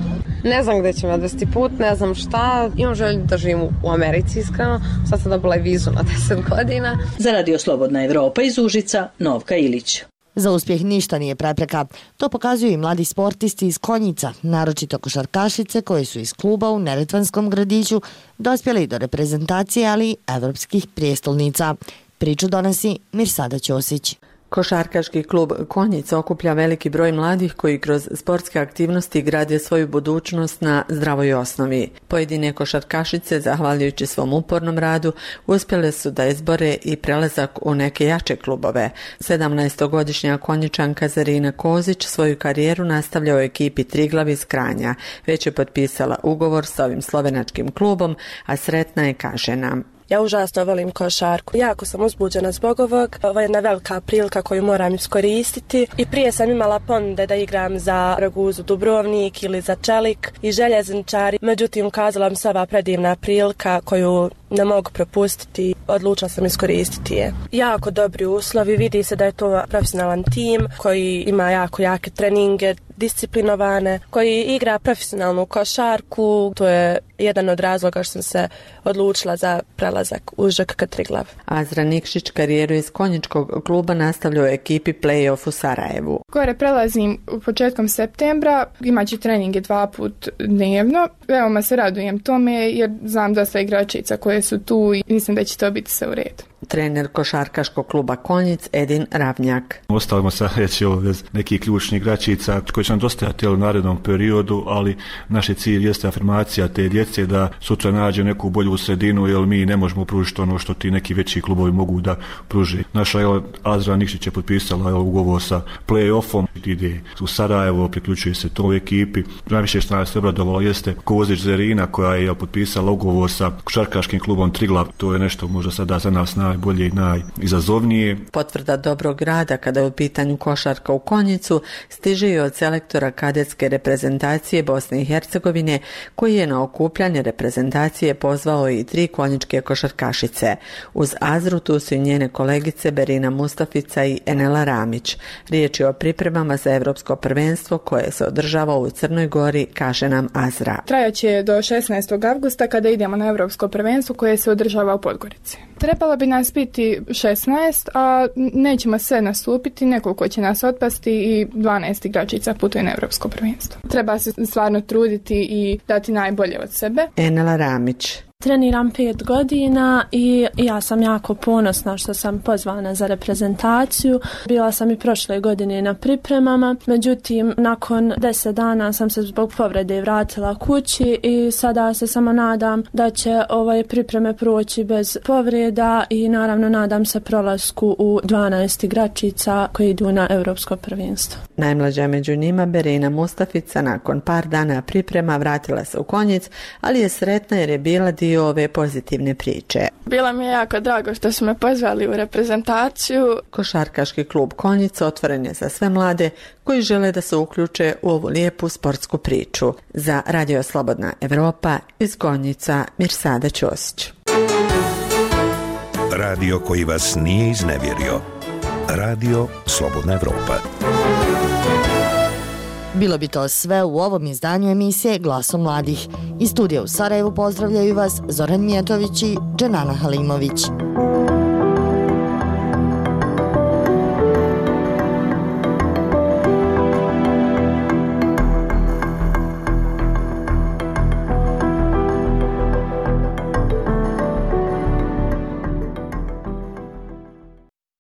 Ne znam gde će me odvesti put, ne znam šta. Imam želju da živim u Americi, iskreno. Sad sam dobila i vizu na deset godina. Za radio Slobodna Evropa iz Užica, Novka Ilić. Za uspjeh ništa nije prepreka. To pokazuju i mladi sportisti iz Konjica, naročito košarkašice koji su iz kluba u Neretvanskom gradiću dospjeli do reprezentacije, ali i evropskih prijestolnica. Priču donosi Mirsada Ćosić. Košarkaški klub Konjica okuplja veliki broj mladih koji kroz sportske aktivnosti grade svoju budućnost na zdravoj osnovi. Pojedine košarkašice, zahvaljujući svom upornom radu, uspjele su da izbore i prelazak u neke jače klubove. sedamnaestogodišnja Konjičanka Zarina Kozić svoju karijeru nastavlja u ekipi Triglav iz Kranja. Već je potpisala ugovor sa ovim slovenačkim klubom, a sretna je, kaže nam. Ja užasno volim košarku. Jako sam uzbuđena zbog ovog. Ovo je jedna velika prilika koju moram iskoristiti. I prije sam imala ponude da igram za Raguzu Dubrovnik ili za Čelik i Željezničari. Međutim, ukazala mi se ova predivna prilika koju ne mogu propustiti. Odlučila sam iskoristiti je. Jako dobri uslovi. Vidi se da je to profesionalan tim koji ima jako jake treninge, disciplinovane, koji igra profesionalnu košarku. To je jedan od razloga što sam se odlučila za prelazak u Ž K K Triglav. Azra Nikšić karijeru iz konjičkog kluba nastavlja u ekipi Play-off u Sarajevu. Gore prelazim početkom septembra, imaću treninge dva put dnevno. Veoma se radujem tome jer znam dosta igračica koje su tu i mislim da će to biti sve u redu. Trener košarkaškog kluba Konjic Edin Ravnjak. Ostavimo se reći bez nekih ključnih igračica koji će nam dostajati u narednom periodu, ali naš cilj jeste afirmacija te djece da sutra nađe neku bolju sredinu, jer mi ne možemo pružiti ono što ti neki veći klubovi mogu da pruži. Naša evo, Azra Nikšić je potpisala evo, ugovor sa play-offom, ide u Sarajevo, priključuje se toj ekipi. Najviše što nas obradovalo jeste Kozić Zarina koja je potpisala ugovor sa košarkaškim klubom Triglav. To je nešto možda sada za nas najbolje i najizazovnije. Potvrda dobrog rada kada je u pitanju košarka u Konjicu stiže i od selektora kadetske reprezentacije Bosne i Hercegovine, koji je na okupljanje reprezentacije pozvao i tri konjičke košarkašice. Uz Azru tu su i njene kolegice Berina Mustafica i Enela Ramić. Riječ je o pripremama za evropsko prvenstvo koje se održava u Crnoj Gori, kaže nam Azra. Trajaće do šesnaestog avgusta kada idemo na evropsko prvenstvo koje se održava u Podgorici. Trebalo bi nas biti šesnaest, a nećemo sve nastupiti, nekoliko će nas otpasti i dvanaest igračica putuje na evropsko prvenstvo. Treba se stvarno truditi i dati najbolje od sebe. Enela Ramić. Treniram pet godina i ja sam jako ponosna što sam pozvana za reprezentaciju. Bila sam i prošle godine na pripremama, međutim nakon deset dana sam se zbog povrede vratila kući i sada se samo nadam da će ove pripreme proći bez povreda i naravno nadam se prolasku u dvanaest igračica koji idu na evropsko prvenstvo. Najmlađa među njima Berina Mustafica nakon par dana priprema vratila se u Konjic, ali je sretna jer je bila dio ove pozitivne priče. Bilo mi je jako drago što su me pozvali u reprezentaciju. Košarkaški klub Konjica otvoren je za sve mlade koji žele da se uključe u ovu lijepu sportsku priču. Za Radio Slobodna Evropa iz Konjica Mirsada Ćosić. Radio koji vas nije iznevjerio. Radio Slobodna Evropa. Bilo bi to sve u ovom izdanju emisije Glasom mladih. Iz studija u Sarajevu pozdravljaju vas Zoran Mijatović i Dženana Halimović.